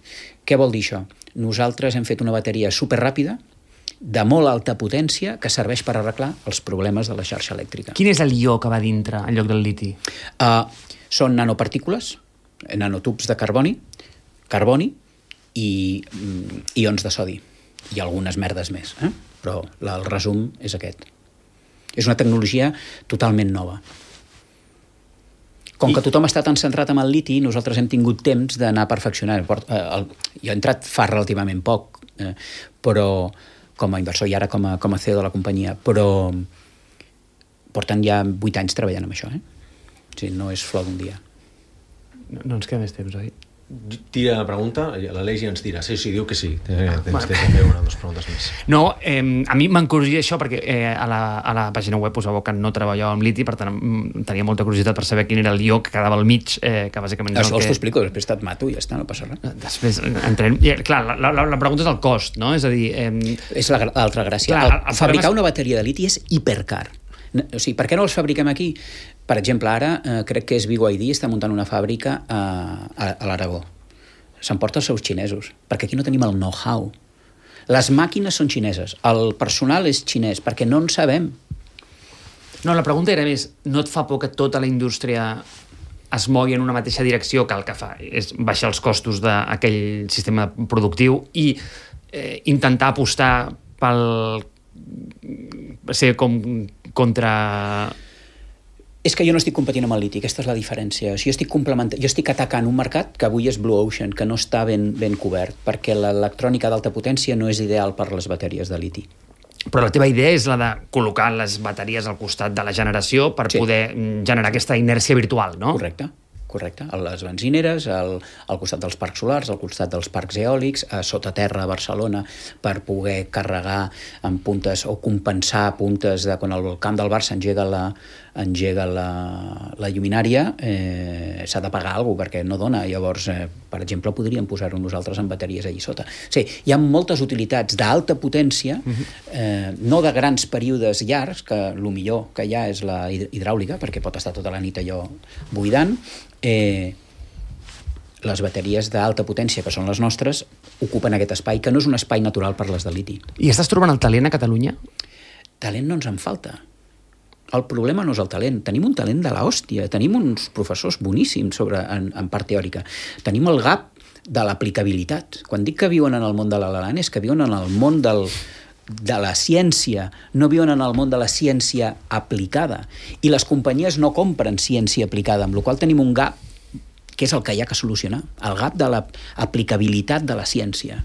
Què vol dir això? Nosaltres hem fet una bateria superràpida, de molt alta potència, que serveix per arreglar els problemes de la xarxa elèctrica. Quin és el ió que va dintre en lloc del liti? Són nanopartícules, nanotubs de carboni i ions de sodi. I algunes merdes més, però el resum és aquest. És una tecnologia totalment nova. Com que tothom està tan centrat en el liti, nosaltres hem tingut temps d'anar perfeccionant. Jo he entrat fa relativament poc, però com a inversor i ara com a CEO de la companyia, però porten ja 8 anys treballant amb això. O sigui, no és flor d'un dia. No ens queda més temps, oi? Tira la pregunta, l'Aleix ja ens dirà. Sí, diu que sí. Tens també una o dues preguntes més. No, a mi m'encuriosita això perquè a la pàgina web posava que no treballava amb liti, per tant tenia molta curiositat per saber quin era el ió que quedava al mig, que bàsicament... Això t'ho explico, després te't mato i ja està, no passa res. Després entrem... Clar, la pregunta és el cost, no? És a dir... És l'altra gràcia. Fabricar una bateria de liti és hipercar. O sigui, per què no els fabriquem aquí? Per exemple, ara crec que és BYD, està muntant una fàbrica a l'Aragó. S'emporta els seus xinesos, perquè aquí no tenim el know-how. Les màquines són xineses, el personal és xinès, perquè no en sabem. No, la pregunta era més, no et fa por que tota la indústria es mogui en una mateixa direcció, que el que fa és baixar els costos d'aquell sistema productiu i intentar apostar pel... ser com contra... És que jo no estic competint amb el liti, aquesta és la diferència. O sigui, jo estic atacant un mercat que avui és Blue Ocean, que no està ben cobert, perquè l'electrònica d'alta potència no és ideal per les bateries de liti. Però la teva idea és la de col·locar les bateries al costat de la generació per poder generar aquesta inèrcia virtual, no? Correcte. A les benzineres, al costat dels parcs solars, al costat dels parcs eòlics, a sota terra a Barcelona, per poder carregar en puntes o compensar puntes de quan al camp del Barça engega la lluminària, s'ha de pagar alguna cosa perquè no dona. Llavors, per exemple, podríem posar-ho nosaltres en bateries allà sota. Sí, hi ha moltes utilitats d'alta potència, no de grans períodes llargs, que el millor que hi ha és la hidràulica, perquè pot estar tota la nit allò buidant. Les bateries d'alta potència, que són les nostres, ocupen aquest espai, que no és un espai natural per les de liti. I estàs trobant el talent a Catalunya? Talent no ens en falta. El problema no és el talent. Tenim un talent de l'hòstia, tenim uns professors boníssims en part teòrica. Tenim el gap de l'aplicabilitat. Quan dic que viuen en el món de l'Alan és que viuen en el món de la ciència, no viuen en el món de la ciència aplicada. I les companyies no compren ciència aplicada, amb la qual cosa tenim un gap que és el que hi ha que solucionar, el gap de l'aplicabilitat de la ciència.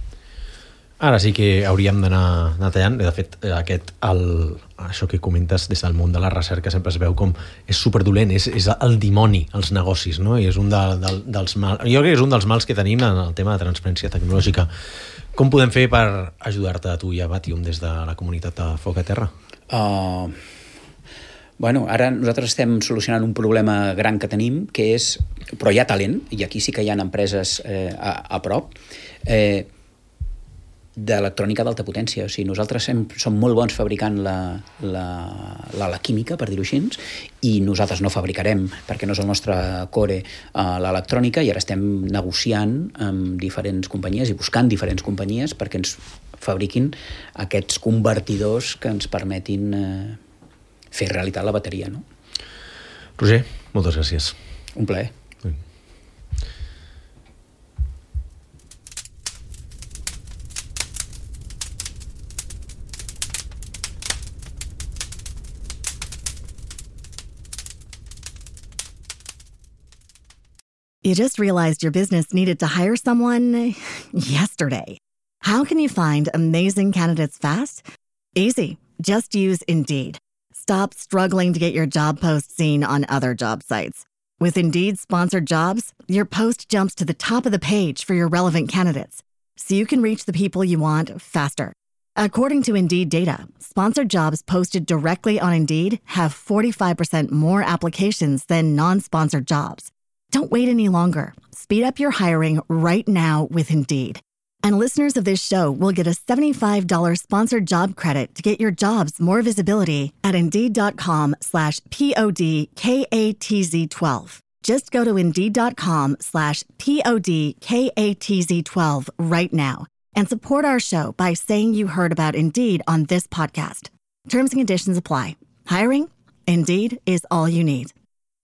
Ara sí que hauríem d'anar tallant. De fet, això que comentes des del món de la recerca sempre es veu com és superdolent, és el dimoni, els negocis, no? I és un dels mals, jo crec que és un dels mals que tenim en el tema de transferència tecnològica. Com podem fer per ajudar-te a tu i a Batium des de la comunitat de Foc a Terra? Bueno, ara nosaltres estem solucionant un problema gran que tenim, que és, però hi ha talent, i aquí sí que hi ha empreses a prop, d'electrònica d'alta potència. O sigui, nosaltres som molt bons fabricant la química, per dir-ho així, i nosaltres no fabricarem, perquè no és el nostre core, l'electrònica, i ara estem negociant amb diferents companyies i buscant diferents companyies perquè ens fabriquin aquests convertidors que ens permetin fer realitat la bateria, no? Roger, moltes gràcies. Un plaer. You just realized your business needed to hire someone yesterday. How can you find amazing candidates fast? Easy. Just use Indeed. Stop struggling to get your job post seen on other job sites. With Indeed sponsored jobs, your post jumps to the top of the page for your relevant candidates, so you can reach the people you want faster. According to Indeed data, sponsored jobs posted directly on Indeed have 45% more applications than non-sponsored jobs. Don't wait any longer. Speed up your hiring right now with Indeed. And listeners of this show will get a $75 sponsored job credit to get your jobs more visibility at Indeed.com/PODKATZ12. Just go to Indeed.com/PODKATZ12 right now and support our show by saying you heard about Indeed on this podcast. Terms and conditions apply. Hiring? Indeed is all you need.